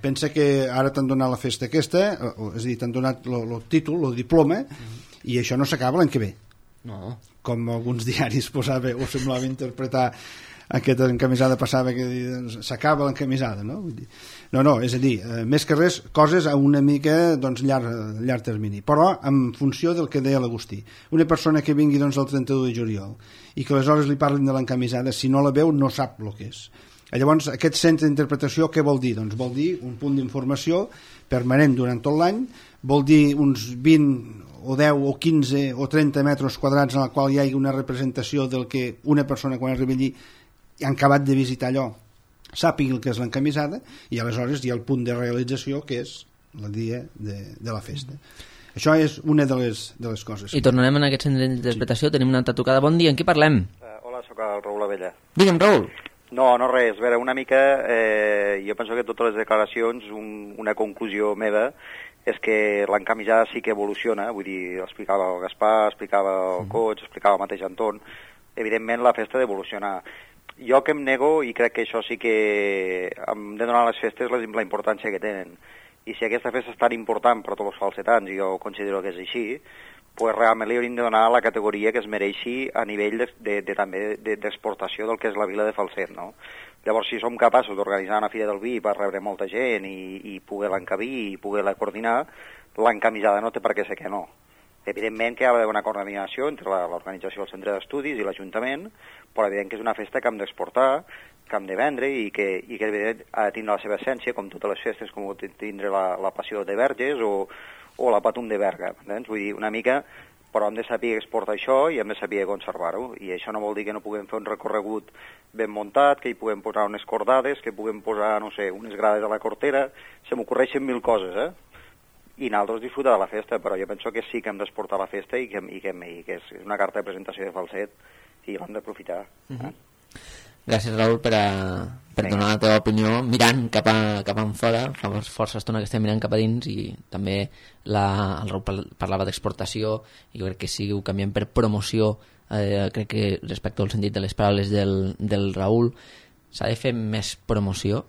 pensa que ara t'han donat la festa aquesta, és a dir, t'han donat el títol, el diploma, mm. i això no s'acaba l'any que ve. No. Com alguns diaris posava, o semblava interpretar aquesta encamisada passava que s'acaba l'encamisada, no? Vull dir, no, no, és a dir, eh, més que res, coses a una mica doncs, llarg, llarg termini, però en funció del que deia l'Agustí. Una persona que vingui doncs, el trenta-u de juliol i que aleshores li parlin de l'encamisada, si no la veu no sap el que és. Llavors, aquest centre d'interpretació què vol dir? Doncs vol dir un punt d'informació permanent durant tot l'any, vol dir uns vint o deu o quinze o trenta metres quadrats en el qual hi hagi una representació del que una persona quan arriba allí han acabat de visitar allò sàpiguen el que és l'encamisada i aleshores hi ha el punt de realització que és el dia de, de la festa. Això és una de les, de les coses. I tornarem en aquest centre d'interpretació. Sí. Tenim una altra trucada. Bon dia, en qui parlem? Uh, hola, sóc el Raül Abella. Digue'm, Raül. No, no res. A veure, una mica, eh, jo penso que totes les declaracions, un, una conclusió meva, és que l'encamisada sí que evoluciona, vull dir, explicava el Gaspar, explicava el Cots, explicava el mateix Anton, evidentment la festa ha d'evolucionar. Jo que em nego, i crec que això sí que hem de donar a les festes la, la importància que tenen. I si aquesta festa és tan important per a tots els falsetans, i jo considero que és així, pues realment li hauríem de donar la categoria que es mereixi a nivell de, de, de, també d'exportació del que és la vila de Falset, no? Llavors, si som capaços d'organitzar una fira del vi per rebre molta gent i, i poder-la encabir i poder-la coordinar, l'encamisada no té per què ser que no. Evidentment que hi ha d'haver una coordinació entre l'organització del centre d'estudis i l'Ajuntament, però evident que és una festa que hem d'exportar, que hem de vendre i que, i que ha de tindre la seva essència, com totes les festes, com tindre la, la passió de Verges o, o la Patum de Berga. Doncs, vull dir, una mica, però hem de saber exportar això i hem de saber conservar-ho. I això no vol dir que no puguem fer un recorregut ben muntat, que hi puguem posar unes cordades, que puguem posar, no sé, unes grades a la cortera. Se m'ocorreixen mil coses, eh? I nosaltres disfrutar de la festa, però jo penso que sí que hem d'exportar la festa i que, i que, i que és una carta de presentació de Falset i l'hem d'aprofitar. Eh? Uh-huh. Gràcies, Raül, per, a, per donar la teva opinió mirant cap, a, cap en fora. Fa força estona que estem mirant cap a dins i també la, el Raül parlava d'exportació i jo crec que si ho canviem per promoció, eh, crec que respecte al sentit de les paraules del, del Raül, s'ha de fer més promoció?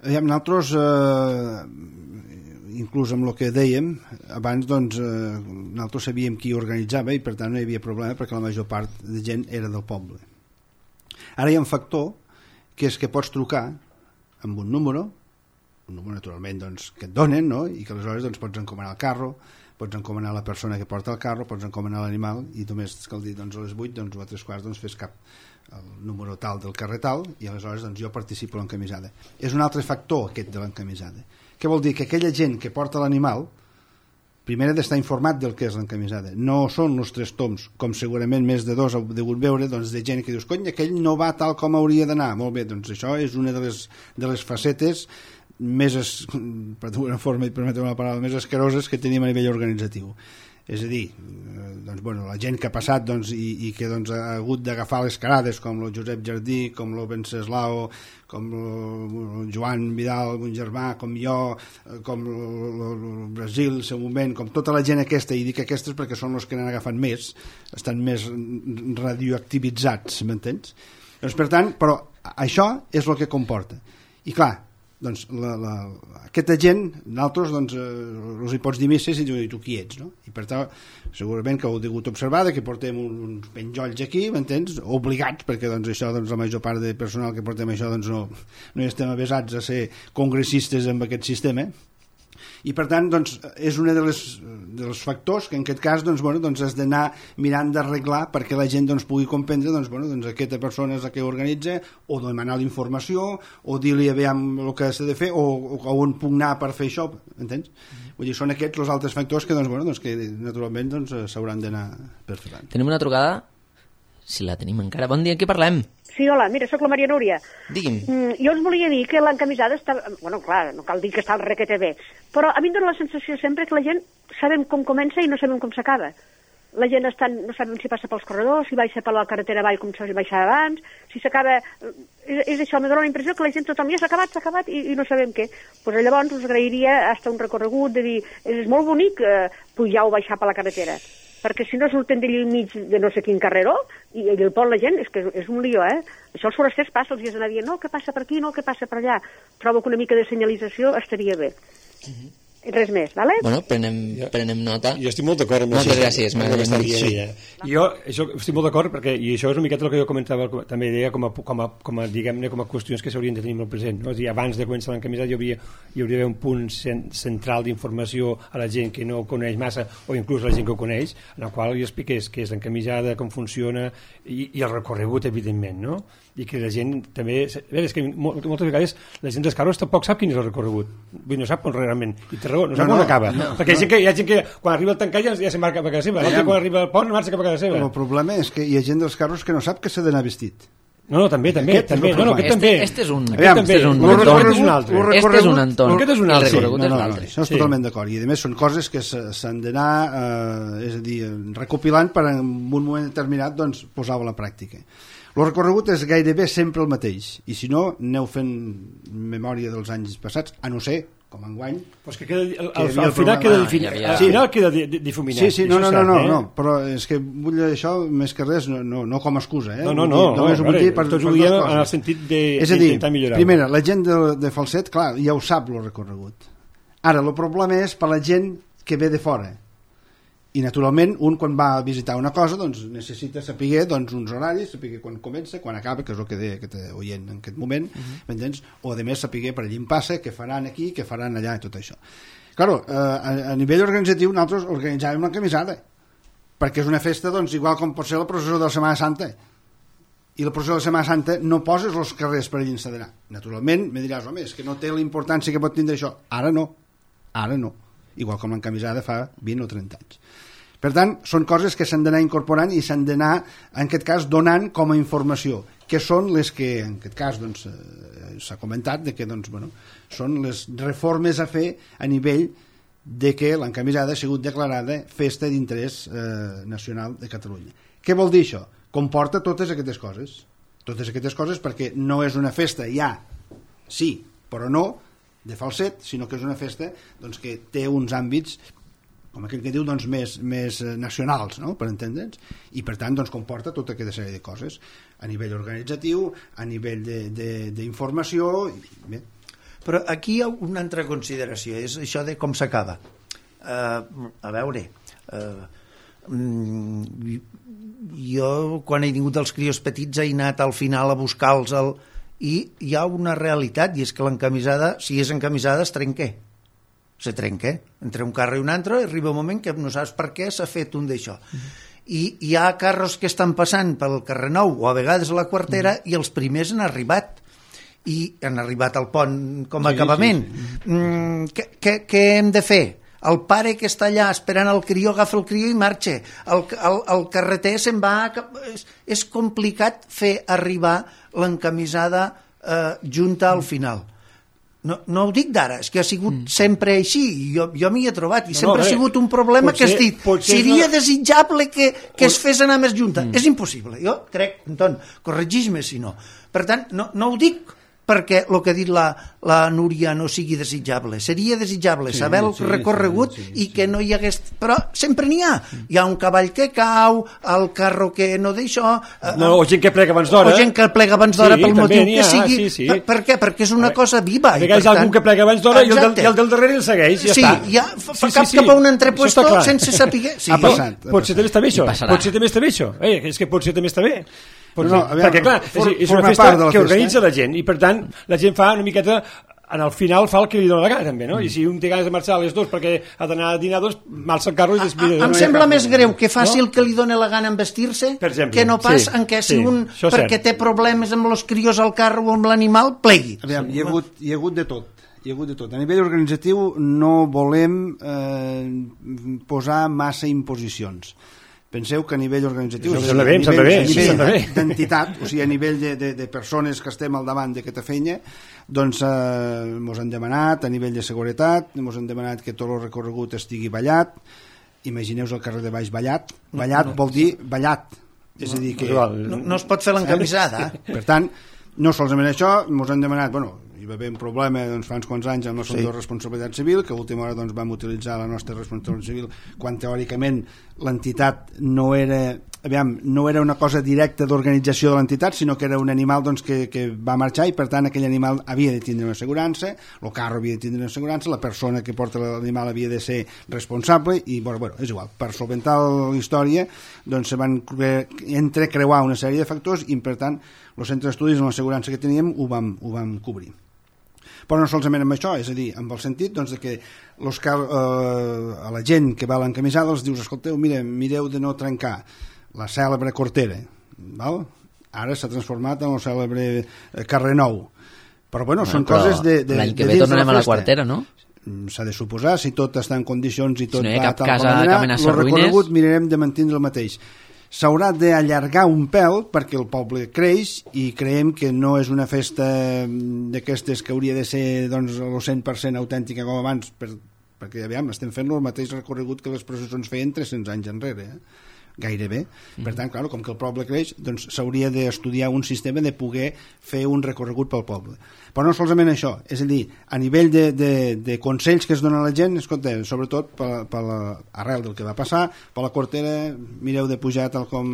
Aviam, nosaltres, eh, inclús amb el que dèiem, abans doncs, eh, nosaltres sabíem qui organitzava i per tant no hi havia problema perquè la major part de gent era del poble. Ara hi ha un factor que és que pots trucar amb un número, un número naturalment doncs, que et donen, no? I que aleshores doncs, pots encomanar el carro, pots encomanar la persona que porta el carro, pots encomanar l'animal i només cal dir doncs, a les vuit doncs, o a tres quarts doncs, fes cap el número tal del carrer tal i aleshores doncs, jo participo a l'encamisada. És un altre factor aquest de l'encamisada. Què vol dir? Que aquella gent que porta l'animal primer ha d'estar informat del que és l'encamisada. No són els tres toms, com segurament més de dos heu degut veure, doncs, de gent que dius, cony, aquell no va tal com hauria d'anar. Molt bé, doncs això és una de les, de les facetes més, es, per d'una forma, i permeteu una paraula, més escaroses que tenim a nivell organitzatiu. És a dir, doncs, bueno, la gent que ha passat doncs, i, i que doncs, ha hagut d'agafar les carades, com el Josep Jardí, com el Venceslao, com el Joan Vidal, un germà, com jo, com el Brasil, en seu moment, com tota la gent aquesta, i dic aquestes perquè són els que n'han agafat més, estan més radioactivitzats, m'entens? Doncs, per tant, però això és el que comporta. I clar, doncs la, la, aquesta gent nosaltres doncs, eh, els hi pots dir misses i dius, tu qui ets, no? I per tant segurament que heu degut observar que portem uns penjolls aquí, m'entens? Obligats, perquè doncs, això doncs, la major part de personal que portem això doncs, no, no estem avesats a ser congressistes amb aquest sistema. I per tant doncs, és un de les, dels factors que en aquest cas doncs, bueno, doncs has d'anar mirant d'arreglar perquè la gent doncs, pugui comprendre doncs, bueno, doncs, aquesta persona és la que organitza o demanar la informació o dir-li aviam el que s'ha de fer o, o on puc anar per fer això, entens? Mm-hmm. Vull dir, són aquests els altres factors que, doncs, bueno, doncs, que naturalment doncs, s'hauran d'anar perfectant. Tenim una trucada? Si la tenim encara. Bon dia, en què parlem? Sí, hola, mira, sóc la Maria Núria. Digui'm. Mm, jo us volia dir que l'encamisada està... Bueno, clar, no cal dir que està al requete bé, però a mi em dóna la sensació sempre que la gent sabem com comença i no sabem com s'acaba. La gent està, no sabem si passa pels corredors, si baixa per la carretera avall com s'ha baixat abans, si s'acaba... És, és això, me dóna la impressió que la gent tothom ja s'ha acabat, s'ha acabat i, i no sabem què. Pues llavors us agrairia hasta un recorregut de dir, és molt bonic eh, pujar o baixar per la carretera, perquè si no surten d'allà mig de no sé quin carreró i el pont la gent, és que és un lío, eh? Això els forasters passa, els dies d'anar dient, no, què passa per aquí, no, què passa per allà. Trobo que una mica de senyalització estaria bé. Uh-huh. Res més, vale? Bueno, prenem, prenem nota. Jo estic molt d'acord amb Moltes això. gràcies, m'agrada. Sí. Jo això, estic molt d'acord perquè, i això és una miqueta el que jo comentava, també deia com a, com a, com a, diguem-ne, com a qüestions que s'haurien de tenir molt present. No? És a dir, abans de començar l'encamisada hi hauria, hi hauria d'haver un punt central d'informació a la gent que no ho coneix massa o inclús a la gent que ho coneix, en el qual hi expliqués què és l'encamisada, com funciona i, i el recorregut, evidentment, no? I que la gent també... A veure, és que moltes vegades la gent dels carros tampoc sap quin és el recorregut. Vull dir, no sap realment. I té raó, no sap no, on no, acaba. No, perquè no. Hi, ha gent que, hi ha gent que quan arriba el tancat ja, ja se'n va cap a casa seva, l'altre quan arriba al pont marxa cap a casa seva. El problema és que hi ha gent dels carros que no sap que s'ha d'anar vestit. No, no, també, també, aquest també. No, no, aquest este, també. Este és un... Aviam, este és un... Aquest és un altre. Este és un entorn. Aquest és un altre. Sí, no, no, no, això és sí. totalment d'acord. I a més són coses que s'han d'anar, eh, és a dir, recopilant per en un moment determinat doncs, posar-ho a la pràctica. El recorregut és gairebé sempre el mateix, i si no, aneu fent memòria dels anys passats, a no ser, com enguany... Pues que queda, al, al, al final queda, ah, ja, ja. Al final queda difuminat. Sí, sí, no, no, no, no, eh? no, però és que vull dir això més que res, no, no, no com a excusa, eh? No, no, no, només no, ho vull dir per, tots ho diem en el sentit d'intentar millorar. Primera, la gent de, de Falset, clar, ja ho sap, el recorregut. Ara, el problema és per la gent que ve de fora. I naturalment un quan va a visitar una cosa doncs necessita saber doncs, uns horaris, saber quan comença, quan acaba, que és el que deia aquest oient en aquest moment, uh-huh. m'entens? O a més saber per allà en passa, què faran aquí, què faran allà i tot això. Claro, eh, a, a nivell organitzatiu nosaltres organitzàvem una camisada, perquè és una festa doncs, igual com pot ser la processó de la Setmana Santa. I la processó de la Setmana Santa no poses els carrers per allà encederar. Naturalment, me diràs, home, és que no té la importància que pot tindre això. Ara no, ara no. Igual com l'encamisada fa vint o trenta anys. Per tant, són coses que s'han d'anar incorporant i s'han d'anar, en aquest cas, donant com a informació, que són les que, en aquest cas, doncs, eh, s'ha comentat, de que, doncs, bueno, són les reformes a fer a nivell de que l'encamisada ha sigut declarada festa d'interès eh, nacional de Catalunya. Què vol dir això? Comporta totes aquestes coses. Totes aquestes coses perquè no és una festa ja, sí, però no, de Falset, sinó que és una festa doncs, que té uns àmbits com aquell que diu, doncs, més, més nacionals, no?, per entendre'ns, i per tant doncs, comporta tota aquesta sèrie de coses a nivell organitzatiu, a nivell d'informació. Bé. Però aquí hi ha una altra consideració, és això de com s'acaba. Uh, a veure, uh, jo quan he tingut els crios petits he anat al final a buscar-los el... i hi ha una realitat, i és que l'encamisada, si és encamisada, es trenca. Se trenca, entre un carro i un altre, i arriba un moment que no saps per què s'ha fet un d'això. Uh-huh. I hi ha carros que estan passant pel carrer Nou, o a vegades a la Quartera, uh-huh. i els primers han arribat. I han arribat al pont com a sí, acabament. Sí, sí. Mm, què, què, què hem de fer? El pare que està allà esperant el crió agafa el crió i marxa. El, el, el carreter se'n va... És, és complicat fer arribar l'encamisada eh, junta al final. No, no ho dic d'ara, és que ha sigut mm. sempre així, i jo, jo m'hi he trobat, i no, sempre no, ha sigut un problema potser, que has dit, seria no... desitjable que, que es fes anar més junta. Mm. És impossible, jo crec, Anton, corregeix-me si no. Per tant, no, no ho dic perquè el que ha dit la, la Núria no sigui desitjable. Seria desitjable sí, saber el sí, recorregut sí, sí, i que sí. no hi hagués... Però sempre n'hi ha. Hi ha un cavall que cau, el carro que no d'això... No, o gent que plega abans d'hora. O gent que plega abans d'hora sí, pel motiu que sigui. Sí, sí. Per, per què? Perquè és una cosa viva. A vegades hi ha algú que plega abans d'hora i el, del, i el del darrere el segueix, ja sí, està. Ja fa sí, cap sí, cap a un entrepuesto sense saber... Sí, ha passat. Ha potser també està bé això. Potser també està bé això. Eh, és que potser també està bé. No, no, aviam, perquè clar, for, és, és una festa que organitza la gent i per tant la gent fa una miqueta en el final fa el que li dona la gana també, no? Mm. I si un té ganes de marxar a les dues perquè ha d'anar a dinar dos, marxa el carro i després... Em no sembla més greu que faci no? el que li dona la gana en vestir-se que no pas sí, en què si sí, un perquè té problemes amb els crios al carro o amb l'animal plegui. Aviam, hi ha hagut, hi ha hagut de tot. Hi ha hagut de tot. A nivell organitzatiu no volem eh, posar massa imposicions. Penseu que a nivell organitzatiu, a nivell, a nivell d'entitat, o sigui, a nivell de, de, de persones que estem al davant d'aquesta feina, doncs eh, mos han demanat, a nivell de seguretat, mos han demanat que tot el recorregut estigui ballat. Imagineu-vos el carrer de baix ballat. Ballat no, no. vol dir ballat. És no, a dir que... No, no es pot fer l'encamisada. Per tant, no solament això, mos han demanat, bueno, hi va haver un problema doncs, fa uns quants anys amb la sí. de responsabilitat civil, que a última hora doncs, vam utilitzar la nostra responsabilitat civil quan teòricament l'entitat no era, aviam, no era una cosa directa d'organització de l'entitat, sinó que era un animal doncs, que, que va marxar i per tant aquell animal havia de tindre una assegurança, el carro havia de tindre una assegurança, la persona que porta l'animal havia de ser responsable i bueno, bueno, és igual, per solventar la història doncs se van entrecreuar una sèrie de factors i per tant els centres d'estudis amb l'assegurança que teníem ho vam, ho vam cobrir. Però no solament amb això, és a dir, amb el sentit doncs, de que los cal, eh, a la gent que va a l'encamisada els dius, escolteu, mire, mireu de no trencar la cèlebre Cortera, val? Ara s'ha transformat en el cèlebre carrer Nou, però bueno, no, són però coses de, de, l'any que ve tornarem a la Quartera, no? s'ha de suposar, si tot està en condicions i tot si no hi ha va cap tal casa com que anar, amenaça el recorregut ruïnes... mirarem de mantenir el mateix. S'haurà d'allargar un pèl perquè el poble creix i creiem que no és una festa d'aquestes que hauria de ser doncs, el cent per cent autèntica com abans, per, perquè aviam, estem fent el mateix recorregut que les processons feien tres-cents anys enrere, eh? Gairebé. Per tant, clar, com que el poble creix, doncs s'hauria d'estudiar un sistema de poder fer un recorregut pel poble. Però no solament això, és a dir, a nivell de, de, de consells que es donen a la gent, escolta, sobretot per, per la, arrel del que va passar, per la Cortera, mireu de pujar tal com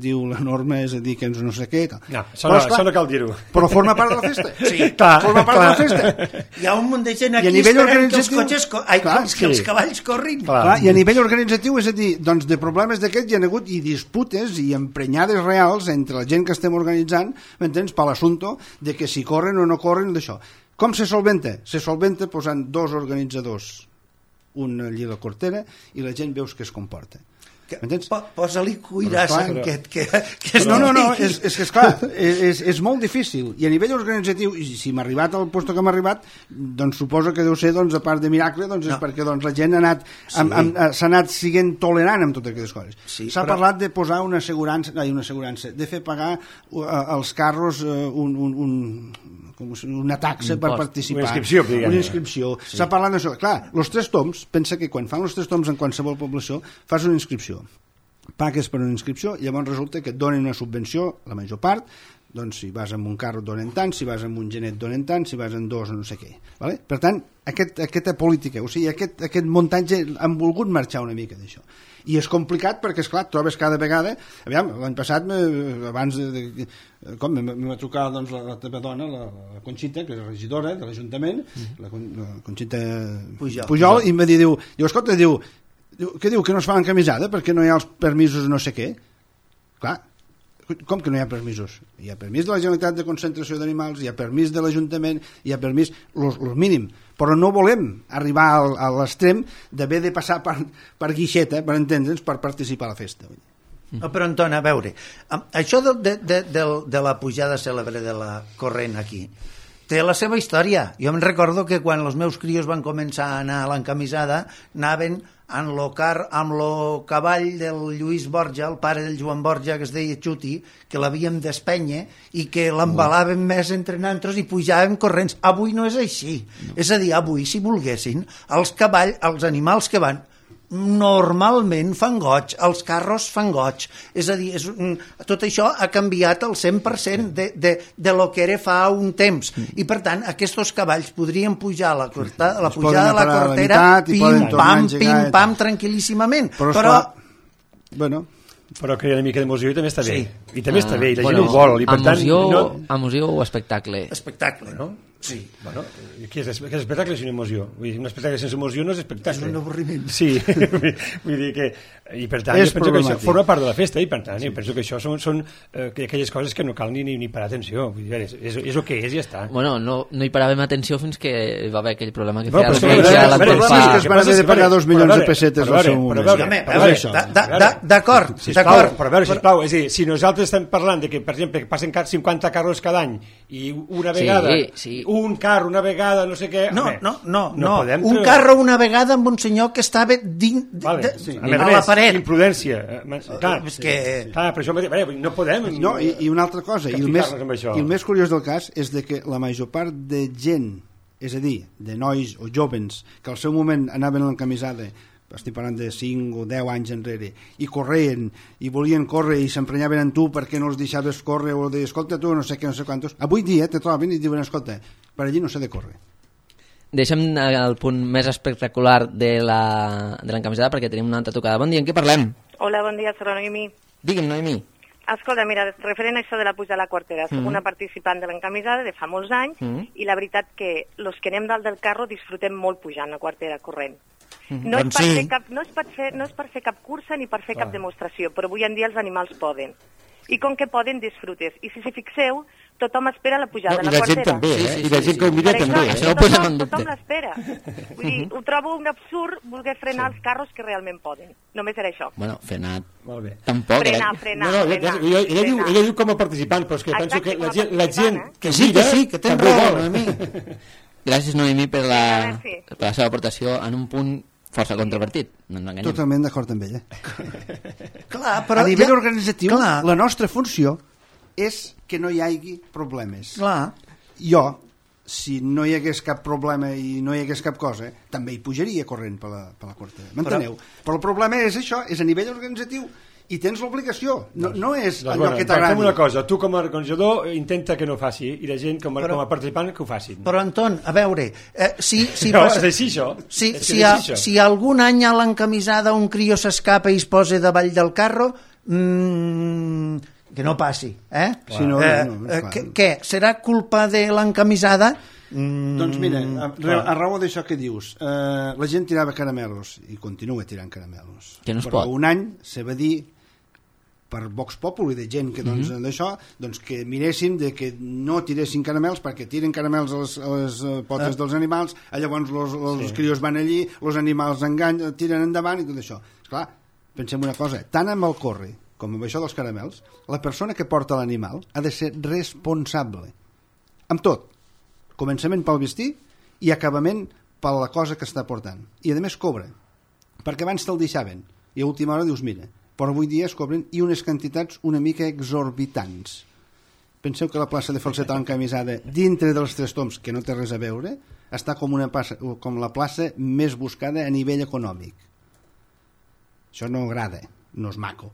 diu la norma, és a dir, que ens no sé què. Tal. No, això, no, això no cal dir-ho. Però forma part de la festa. Sí, clar, forma part clar. de la festa. Hi ha un munt de gent aquí esperant que els cotxes, ai, clar, que, que els cavalls corrin. Clar. Clar, i a nivell organitzatiu, és a dir, doncs de problemes d'aquests hi ha hagut i disputes i emprenyades reals entre la gent que estem organitzant, m'entens, per l'assumpte de que si corren o no corren d'això. Com se solventa? Se solventa posant dos organitzadors, un allí a la Cortera, i la gent veus que es comporta. M'entens? Posa-li cuirassa en aquest, que, que és no, no, no, és, és que esclar, és, és, és molt difícil, i a nivell organitzatiu, i si m'ha arribat al lloc que m'ha arribat, doncs suposo que deu ser, doncs, a part de miracle, doncs és no. perquè doncs, la gent ha anat, sí. amb, amb, s'ha anat siguent tolerant amb totes aquestes coses. Sí, s'ha però... parlat de posar una assegurança, ai, una assegurança, de fer pagar uh, als carros uh, un, un, un, com una taxa un per post, participar. Una inscripció. Una inscripció. Sí. S'ha parlat d'això. Clar, els tres toms, pensa que quan fan els tres toms en qualsevol població, fas una inscripció. Pagues per una inscripció i llavors resulta que et donen una subvenció, la major part, doncs si vas amb un carro et donen tant, si vas amb un genet et donen tant, si vas amb dos no sé què. Vale? Per tant, aquest, aquesta política, o sigui, aquest, aquest muntatge han volgut marxar una mica d'això. I és complicat perquè, esclar, trobes cada vegada... Aviam, l'any passat, abans de... de com em va trucar doncs, la, la teva dona, la, la Conxita, que és regidora de l'Ajuntament, mm-hmm. la, la Conxita Pujol, Pujol, i em va dir, diu, diu, escolta, diu, diu, què diu, que no es fa encamisada perquè no hi ha els permisos no sé què? Clar, com que no hi ha permisos? Hi ha permís de la Generalitat de concentració d'animals, hi ha permís de l'Ajuntament, hi ha permís, el mínim, però no volem arribar al, a l'extrem d'haver de passar per, per guixeta, per entendre'ns, per participar a la festa. No, però Anton, a veure, això de, de, de, de, de la pujada cèlebre de la corrent aquí, té la seva història. Jo me'n recordo que quan els meus crios van començar a anar a l'encamisada, anaven amb lo car, amb lo cavall del Lluís Borja, el pare del Joan Borja, que es deia Xuti, que l'havíem d'espènyer i que l'embalàvem més entre nosaltres i pujàvem corrents. Avui no és així. No. És a dir, avui, si volguessin, els cavalls, els animals que van, normalment fan goig, els carros fan goig, és a dir, és, tot això ha canviat el cent per cent de, de, de lo que era fa un temps, i per tant aquests cavalls podrien pujar a la, corta, a la pujada de la Cortera, pim, pam, pim, pam, tranquil·líssimament, però, però... bueno... però que hi ha una mica d'emoció i també està bé, sí. i també ah, està bé, i la bueno, gent ho vol, i per tant... Emoció, no... emoció o espectacle? Espectacle, no? Sí. Bueno, què és, què és espectacle és una emoció? Vull dir, un espectacle sense emoció no és espectacle. És un avorriment. Sí, vull dir que... I per tant, és jo penso que això forma part de la festa, i per tant, sí. jo penso que això són, són eh, aquelles coses que no cal ni, ni, ni parar atenció. Vull dir, és, és, és el que és i ja està. Bueno, no, no hi paràvem atenció fins que va haver aquell problema que no, feia el Reis a la Colpa. Que es van haver de pagar dos milions de pessetes al seu moment. D'acord, d'acord. Però a veure, sisplau, és a dir, si nosaltres estem parlant de que, per exemple, que passen cinquanta carros cada any i una vegada, un carro una vegada, no sé què... No, no, no, no. Un carro una vegada amb un senyor que estava dins a la paret. Imprudència. Clar, és que... clar, per això no podem... No, i, i una altra cosa, i el, més, i el més curiós del cas és de que la major part de gent, és a dir, de nois o jovens, que al seu moment anaven a l'encamisada, estic parlant de cinc o deu anys enrere, i corrien, i volien córrer, i s'emprenyaven en tu perquè no els deixaves córrer, o de, escolta tu, no sé què, no sé quantos. Avui dia te troben i diuen, escolta, per allí no s'ha de córrer. Deixem el punt més espectacular de l'encamisada perquè tenim una altra tocada. Bon dia, en què parlem? Hola, bon dia, soc la Noemi. Digue'm, Noemi. Escolta, mira, referent a això de la puja a la Cortera, soc mm. una participant de l'encamisada de fa molts anys mm. i la veritat que els que anem dalt del carro disfrutem molt pujant a Cortera corrent. Mm. No, és per sí. fer cap, no, és per fer, no és per fer cap cursa ni per fer ah. cap demostració, però avui en dia els animals poden. I com que poden, disfrutes. I si s'hi fixeu, tothom espera la pujada no, a la Cortera. I la gent també, eh? Sí, sí, I la gent que ho mira sí, també. Sí, tothom, tothom, tothom l'espera. Vull dir, ho trobo un absurd voler frenar sí. els carros que realment poden. Només era això. Bueno, frenat. Molt bé. Tampoc, frenar, eh? frenar, no, no, frenar, ella, ella, ella, diu, ella diu com a participant, però és que Exacte, penso que la gent, la gent eh? que sí, que sí, que tens raó, a mi. Gràcies, Noemí, per la, Sí. per la seva aportació en un punt força controvertit. No ens enganyem. Totalment d'acord amb ella. Clar, però... A nivell ja- organitzatiu, Clar. la nostra funció és que no hi hagi problemes. Clar. Jo, si no hi hagués cap problema i no hi hagués cap cosa, també hi pujaria corrent per la, per la quartera. M'enteneu? Però... però el problema és això, és a nivell organitzatiu i tens l'obligació, no, no és Doncs, allò bueno, que doncs fem t'agradi. una cosa, tu com a organitzador intenta que no faci i la gent com a, Però- com a participant que ho facin. Però, Anton, a veure, eh, si, si, No, passa- és així, això. si, És que si, és a, així, això. si algun any a l'encamisada un crió s'escapa i es posa davall del carro, mmm, que no passi, eh? Si no, eh, no, no, eh, clar. què, què? Serà culpa de l'encamisada? Mm, Doncs mira, a, a raó d'això que dius, eh, la gent tirava caramelos i continua tirant caramelos. Que no es Però pot. un any se va dir per Vox Populi de gent que doncs, Mhm. d'això doncs que miréssim de que no tiressin caramels perquè tiren caramels a les, a les eh, potes Ah. dels animals, eh, llavors los, los Sí. crios van allí, els animals enganyen, tiren endavant i tot això. Esclar, pensem una cosa, tant amb el corre com amb això dels caramels, la persona que porta l'animal ha de ser responsable amb tot, començament pel vestir i acabament per la cosa que està portant, i a més cobra, perquè abans te'l deixaven i a última hora dius mira, però avui dia es cobren i unes quantitats una mica exorbitants. Penseu que la plaça de Falset encamisada dintre dels Tres Tombs, que no té res a veure, està com, una plaça, com la plaça més buscada a nivell econòmic. Això no agrada, no és maco.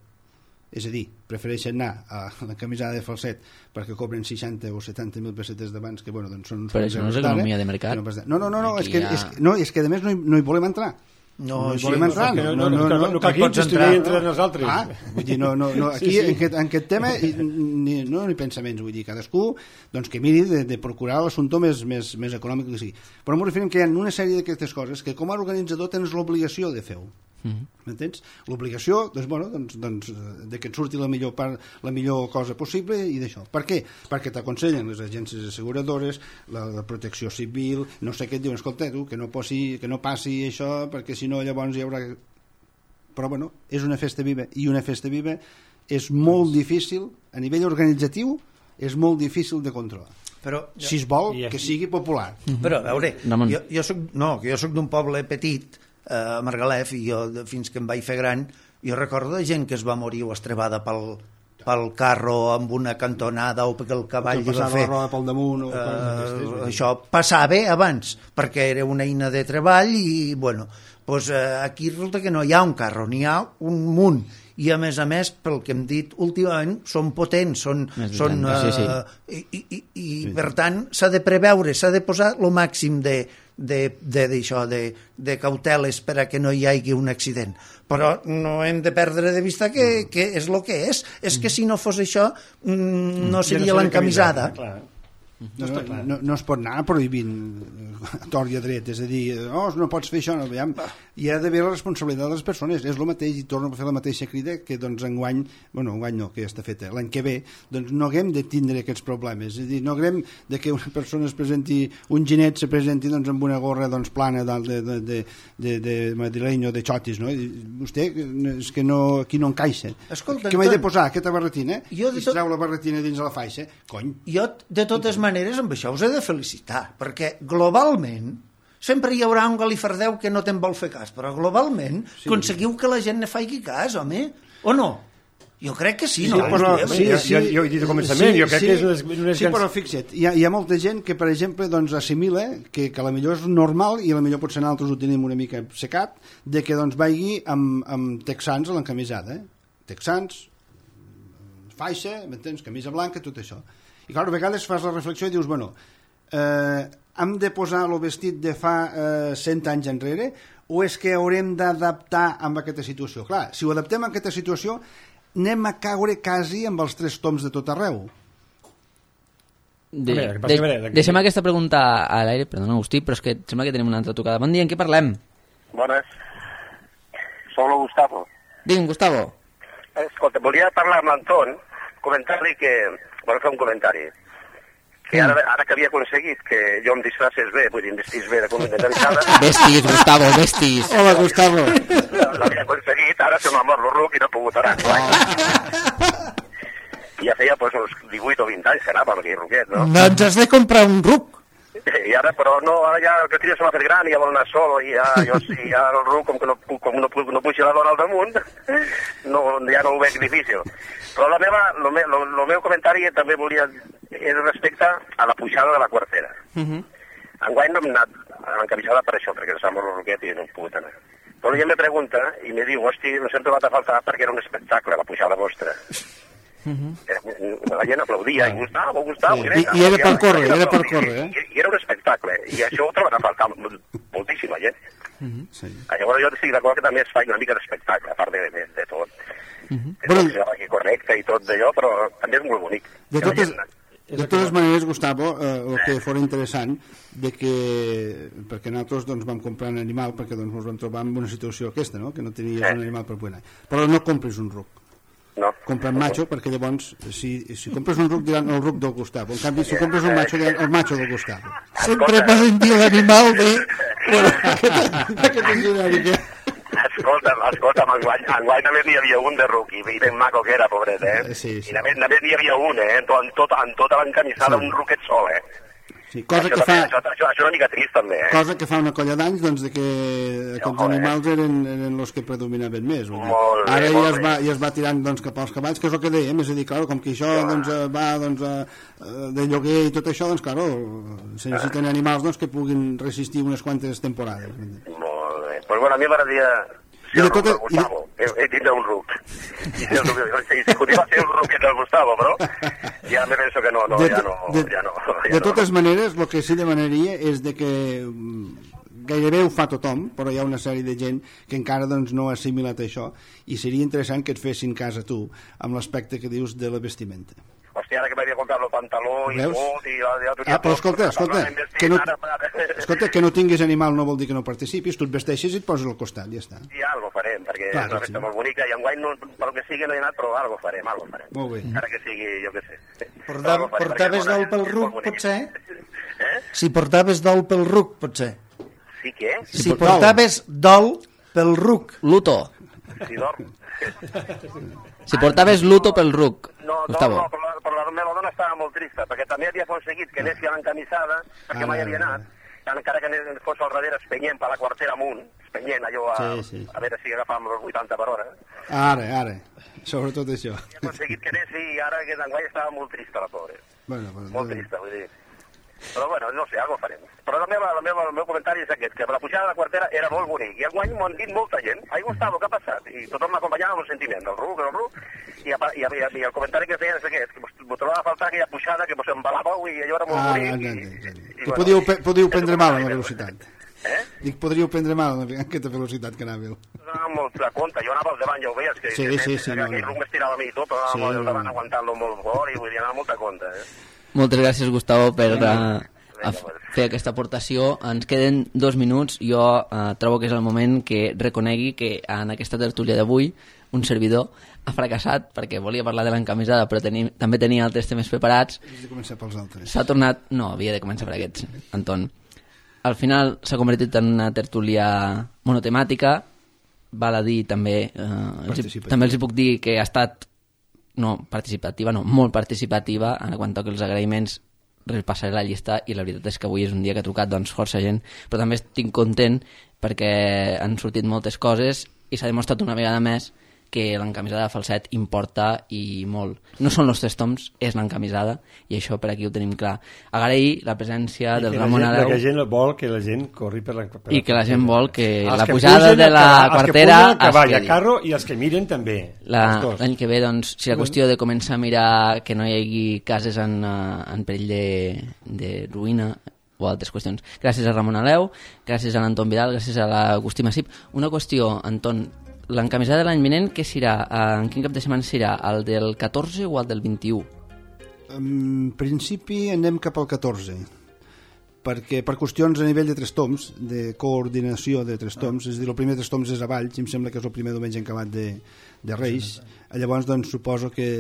És a dir, prefereixen anar a la camisada de Falset perquè cobren seixanta o setanta mil pessetes d'abans, que bueno, doncs són uns Però quants això no és euros d'ara, economia de mercat. que no, pas- no, no, no, no, és Aquí que, hi ha- és, que- no, és que a més no hi, no hi volem entrar. No, hi sí, volem entrar, no, no, no, no, no, no, no cal hi que pots estiguin entrar. entre nosaltres. Ah, vull dir, no, no, no, aquí Sí, sí. En, aquest, en aquest tema i, ni, no ni pensaments, vull dir, cadascú doncs, que miri de, de procurar l'assumpte més, més, més econòmic que sigui. Però m'ho referim que hi ha una sèrie d'aquestes coses que com a organitzador tens l'obligació de fer-ho. Mhm. M'entens? L'obligació, doncs, bueno, doncs, doncs, eh, de que et surti la millor, part, la millor cosa possible i d'això. Per què? Perquè t'aconsellen les agències asseguradores, la, la protecció civil, no sé què et diuen, escolta, tu, que no, posi, que no passi això, perquè si no llavors hi haurà... Però, bueno, és una festa viva, i una festa viva és molt difícil, a nivell organitzatiu, és molt difícil de controlar. Però, Si es vol, I- que sigui popular. Però, a veure, Ramon. jo, jo soc, no, que jo soc d'un poble petit, eh, a Margalef, i jo, de- fins que em vaig fer gran, jo recordo de gent que es va morir o estrevada pel, pel carro amb una cantonada o perquè el cavall Que li va passava fer... la roda pel damunt o coses Eh, d'aquestes, vull dir. això passava abans, perquè era una eina de treball i, bueno, doncs, eh, aquí resulta que no hi ha un carro, n'hi ha un munt. I, a més a més, pel que hem dit últimament, són potents, són... Més de són trenta, sí, eh, I, i, i, i per tant, s'ha de preveure, s'ha de posar el màxim de, de, de, d'això, de, de cauteles per a que no hi hagi un accident. Però no hem de perdre de vista que, que és el que és. És que si no fos això, mm, no seria l'encamisada. Clar. No, no, no, no es pot anar prohibint a tort i a dret, és a dir, oh, no pots fer això, no, aviam. Hi ha d'haver la responsabilitat de les persones, és el mateix, i torno a fer la mateixa crida que doncs enguany, bueno, enguany no, que ja està feta, l'any que ve, doncs no haguem de tindre aquests problemes, és a dir, no haguem de que una persona es presenti, un genet se presenti doncs amb una gorra doncs plana de, de, de, de, de, de madrileny o de xotis, no? I vostè, és que no, aquí no encaixa. Escolta, que m'he de Anton, posar aquesta barretina jo de i tot- es treu la barretina dins de la faixa, cony. Jo, de totes maneres, amb això us he de felicitar, perquè globalment sempre hi haurà un galifardeu que no te'n vol fer cas, però globalment sí. aconseguiu que la gent ne faci cas, home, o no? Jo crec que sí, Sí, no? però, Hòstia, sí, jo- sí, jo- jo he dit al començament, jo crec que és unes- unes sí, grans- però fixa't, hi ha, hi ha molta gent que, per exemple, doncs, assimila que, que a la millor és normal i a la millor potser nosaltres ho tenim una mica secat, de que doncs, vagi amb, amb texans a l'encamisada. Eh? Texans, faixa, m'entens, camisa blanca, tot això. I clar, a vegades fas la reflexió i dius, bueno, eh, hem de posar el vestit de fa eh, cent anys enrere o és que haurem d'adaptar amb aquesta situació? Clar, si ho adaptem a aquesta situació anem a caure quasi amb els tres toms de tot arreu. De, A veure, que de, passi, a veure, de- deixem aquesta pregunta a l'aire, perdona, Agustí, però és que em sembla que tenim una altra tocada. Bon dia, en què parlem? Bones. Soc el Gustavo. Digue'm, Gustavo. Escolta, volia parlar amb l'Anton, comentar-li que... Bueno, fer un comentari. Que ara, ara que havia aconseguit que jo em disfraces bé, vull dir, em vestís bé de com d'encamisada... Vestis, Gustavo, vestis. Hola, Gustavo. L'havia aconseguit, ara se m'ha mort el ruc i no he pogut anar. I ja feia pues, uns divuit o vint anys que anava amb aquell ruquet, no? Doncs has de comprar un ruc. I ara, però no, ara ja el que tria se m'ha fet gran i ja vol anar solo i ja, jo sí, ja el ruc, com que no, com no, no puja la dona al damunt, no, ja no ho veig difícil. Però la meva, lo, me, lo, lo meu comentari també volia, és respecte a la pujada de la quartera. Uh -huh. Enguany no hem anat a l'encamisada per això, perquè ens sembla el roquet i no hem pogut anar. Però ella me pregunta i me diu, hosti, no s'hem trobat a faltar perquè era un espectacle, la pujada vostra. Uh-huh. La gent aplaudia, i Gustavo, Gustavo... Sí. I, I era per córrer, era per córrer, eh? I, I era un espectacle, i això ho troben a faltar moltíssima gent. Uh-huh. Sí. Llavors jo estic d'acord que també es fa una mica d'espectacle, a part de, de, de tot. Uh-huh. Però aquí correcte i tot d'allò, però també és molt bonic. De totes, de totes maneres, Gustavo, eh, el que fora interessant de que, perquè nosaltres doncs, vam comprar un animal perquè doncs, ens vam trobar en una situació aquesta, no? Que no tenies eh. un animal per poder anar. Però no compris un ruc. No. Compra un macho, perquè llavors si, si compres un ruc diran el ruc del Gustavo, en canvi si compres un macho diran el macho del Gustavo. Sempre m'ha sentit l'animal de... Bueno, aquest és genèric. Escolta'm, escolta'm, enguany, enguany només n'hi havia un de ruc i ben maco que era, pobret, eh? Sí, sí. I només, només n'hi havia un, eh? En, tot, en, tot, en tota l'encamisada sí. Un ruquet sol, eh? Sí, cosa això, que fa... Això, això, això és una mica trist, també, eh? Cosa que fa una colla d'anys, doncs, de que aquests no, animals eren, eren els que predominaven més. Molt bé, ara molt ja es, va, ja es va tirant doncs, cap als cavalls, que és el que dèiem, és a dir, clar, com que això ja. doncs, va doncs, a, de lloguer i tot això, doncs, clar, se necessiten animals doncs, que puguin resistir unes quantes temporades. Molt bé. Pues bueno, a mi m'agradaria... I de tot el Gustavo, he, he dit un ruc. I si continua ser un ruquet del Gustavo, però ja me penso que no, no, de, ja no. De, ja no, ja de totes no. maneres, el que sí demanaria és de que gairebé ho fa tothom, però hi ha una sèrie de gent que encara doncs, no ha assimilat això i seria interessant que et fessin cas a tu amb l'aspecte que dius de la vestimenta. Hòstia, ara que m'havia comprat el pantaló i tot... I ja, ja ah, però escolta, escolta, que no, escolta, que no tinguis animal no vol dir que no participis, tu et vesteixes i et poses al costat, ja està. I algo farem, perquè Clar, és una festa sí. molt bonica i enguany, no, pel que sigui, no he anat, però algo farem, algo farem. Molt bé. Ara que sigui, jo què sé. Portav, portaves d'ol pel ruc, potser? Eh? Si portaves d'ol pel ruc, potser? Sí, què? Si, si portaves d'ol pel ruc. Luto. Si dorm. Si portaves luto pel ruc, no, Gustavo. No, no, però la, però la meva dona estava molt trista, perquè també havia aconseguit que anessi a l'encamisada, perquè ah, mai havia anat, encara que fos al darrere espenyent per la quartera amunt, espenyent allò a, sí, sí. a veure si agafàvem els vuitanta per hora. Ara, ara, sobretot això. Havia aconseguit que anessi i ara aquest enguany estava molt trista, la pobra. Bueno, bueno, molt trista, vull dir. Però bueno, no sé, algo farem. Però la meva, la meva, el meu comentari és aquest, que la pujada de la quartera era molt bonic, i enguany m'ho han dit molta gent. Ai, Gustavo, què ha passat? I tothom m'acompanyava amb el sentiment del ruc, del ruc, i, i, i, i el comentari que feien és aquest, que m'ho trobava a faltar aquella pujada, que mos embalàveu i allò era molt ah, bonic. Ah, i, i, i, i podíeu, podíeu prendre mal amb la velocitat. Eh? Dic, podríeu prendre mal amb aquesta velocitat que anàveu. No, molt de compte, jo anava al davant, ja ho veies, que, sí, que, sí, que, sí, que no, aquell no. ruc m'estirava a mi i tot, però anava sí, al davant no. aguantant-lo molt fort, i vull dir, anava molt de compte, eh? Moltes gràcies, Gustavo, per... Uh... a fer aquesta aportació. Ens queden dos minuts. Jo eh, trobo que és el moment que reconegui que en aquesta tertúlia d'avui un servidor ha fracassat perquè volia parlar de l'encamisada però teni, també tenia altres temes preparats. Has de començar pels altres. S'ha tornat... No, havia de començar per aquests, Anton. Al final s'ha convertit en una tertúlia monotemàtica. Val a dir també... Eh, els, també els hi puc dir que ha estat... No, participativa, no, molt participativa en quant a que els agraïments repassaré la llista i la veritat és que avui és un dia que ha trucat doncs, força gent, però també estic content perquè han sortit moltes coses i s'ha demostrat una vegada més que l'encamisada de falset importa i molt. No són els tres toms, és l'encamisada i això per aquí ho tenim clar. Agrair la presència I del Ramon Areu. I que la gent vol que la gent corri per la... Per I que la gent vol que els la que pujada de la quartera els que cavall, a carro i els que miren també. L'any que ve, doncs, si la qüestió de començar a mirar que no hi hagi cases en, en perill de, de ruïna o altres qüestions. Gràcies a Ramon Aleu, gràcies a l'Anton Vidal, gràcies a l'Agustí Massip. Una qüestió, Anton, l'encamisada de l'any vinent, què serà? En quin cap de setmana serà? El del catorze o el del vint-i-u? En principi anem cap al catorze, perquè per qüestions a nivell de tres toms, de coordinació de tres toms, és a dir, el primer tres toms és a Valls, i em sembla que és el primer diumenge en acabat de, de Reis, llavors doncs suposo que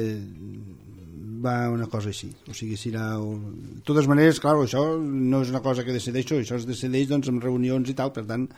va una cosa així, o sigui, serà... De totes maneres, clar, això no és una cosa que decideixo, això es decideix doncs amb reunions i tal, per tant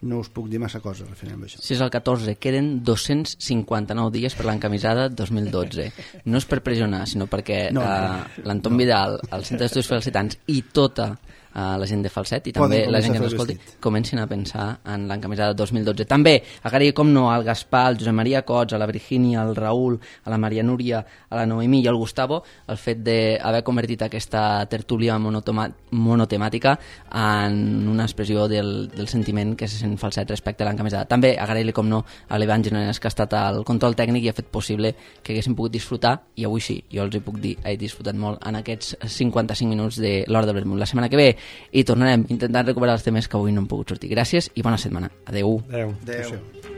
no us puc dir massa coses referent a això. Si és el catorze, queden dos-cents cinquanta-nou dies per l'encamisada dos mil dotze. No és per pressionar, sinó perquè no, uh, l'Anton no. Vidal, el Centre d'Estudis Felicitants i tota a la gent de Falset i també Poden la gent que començar a ens fer escolti vestit. comencin a pensar en l'encamisada dos mil dotze. També agrair, com no, al Gaspar, al Josep Maria Cots, a la Virgínia, al Raül, a la Maria Núria, a la Noemí i al Gustavo el fet d'haver convertit aquesta tertúlia monotoma, monotemàtica en una expressió del, del sentiment que se sent Falset respecte a l'encamisada. També agrair-li, com no, a l'Ivan Genones, que ha estat al control tècnic i ha fet possible que haguéssim pogut disfrutar, i avui sí, jo els hi puc dir, he disfrutat molt en aquests cinquanta-cinc minuts de l'Hora del Vermut. La setmana que ve hi tornarem intentant recuperar els temes que avui no hem pogut sortir. Gràcies i bona setmana. Adeu. Adeu. Adéu.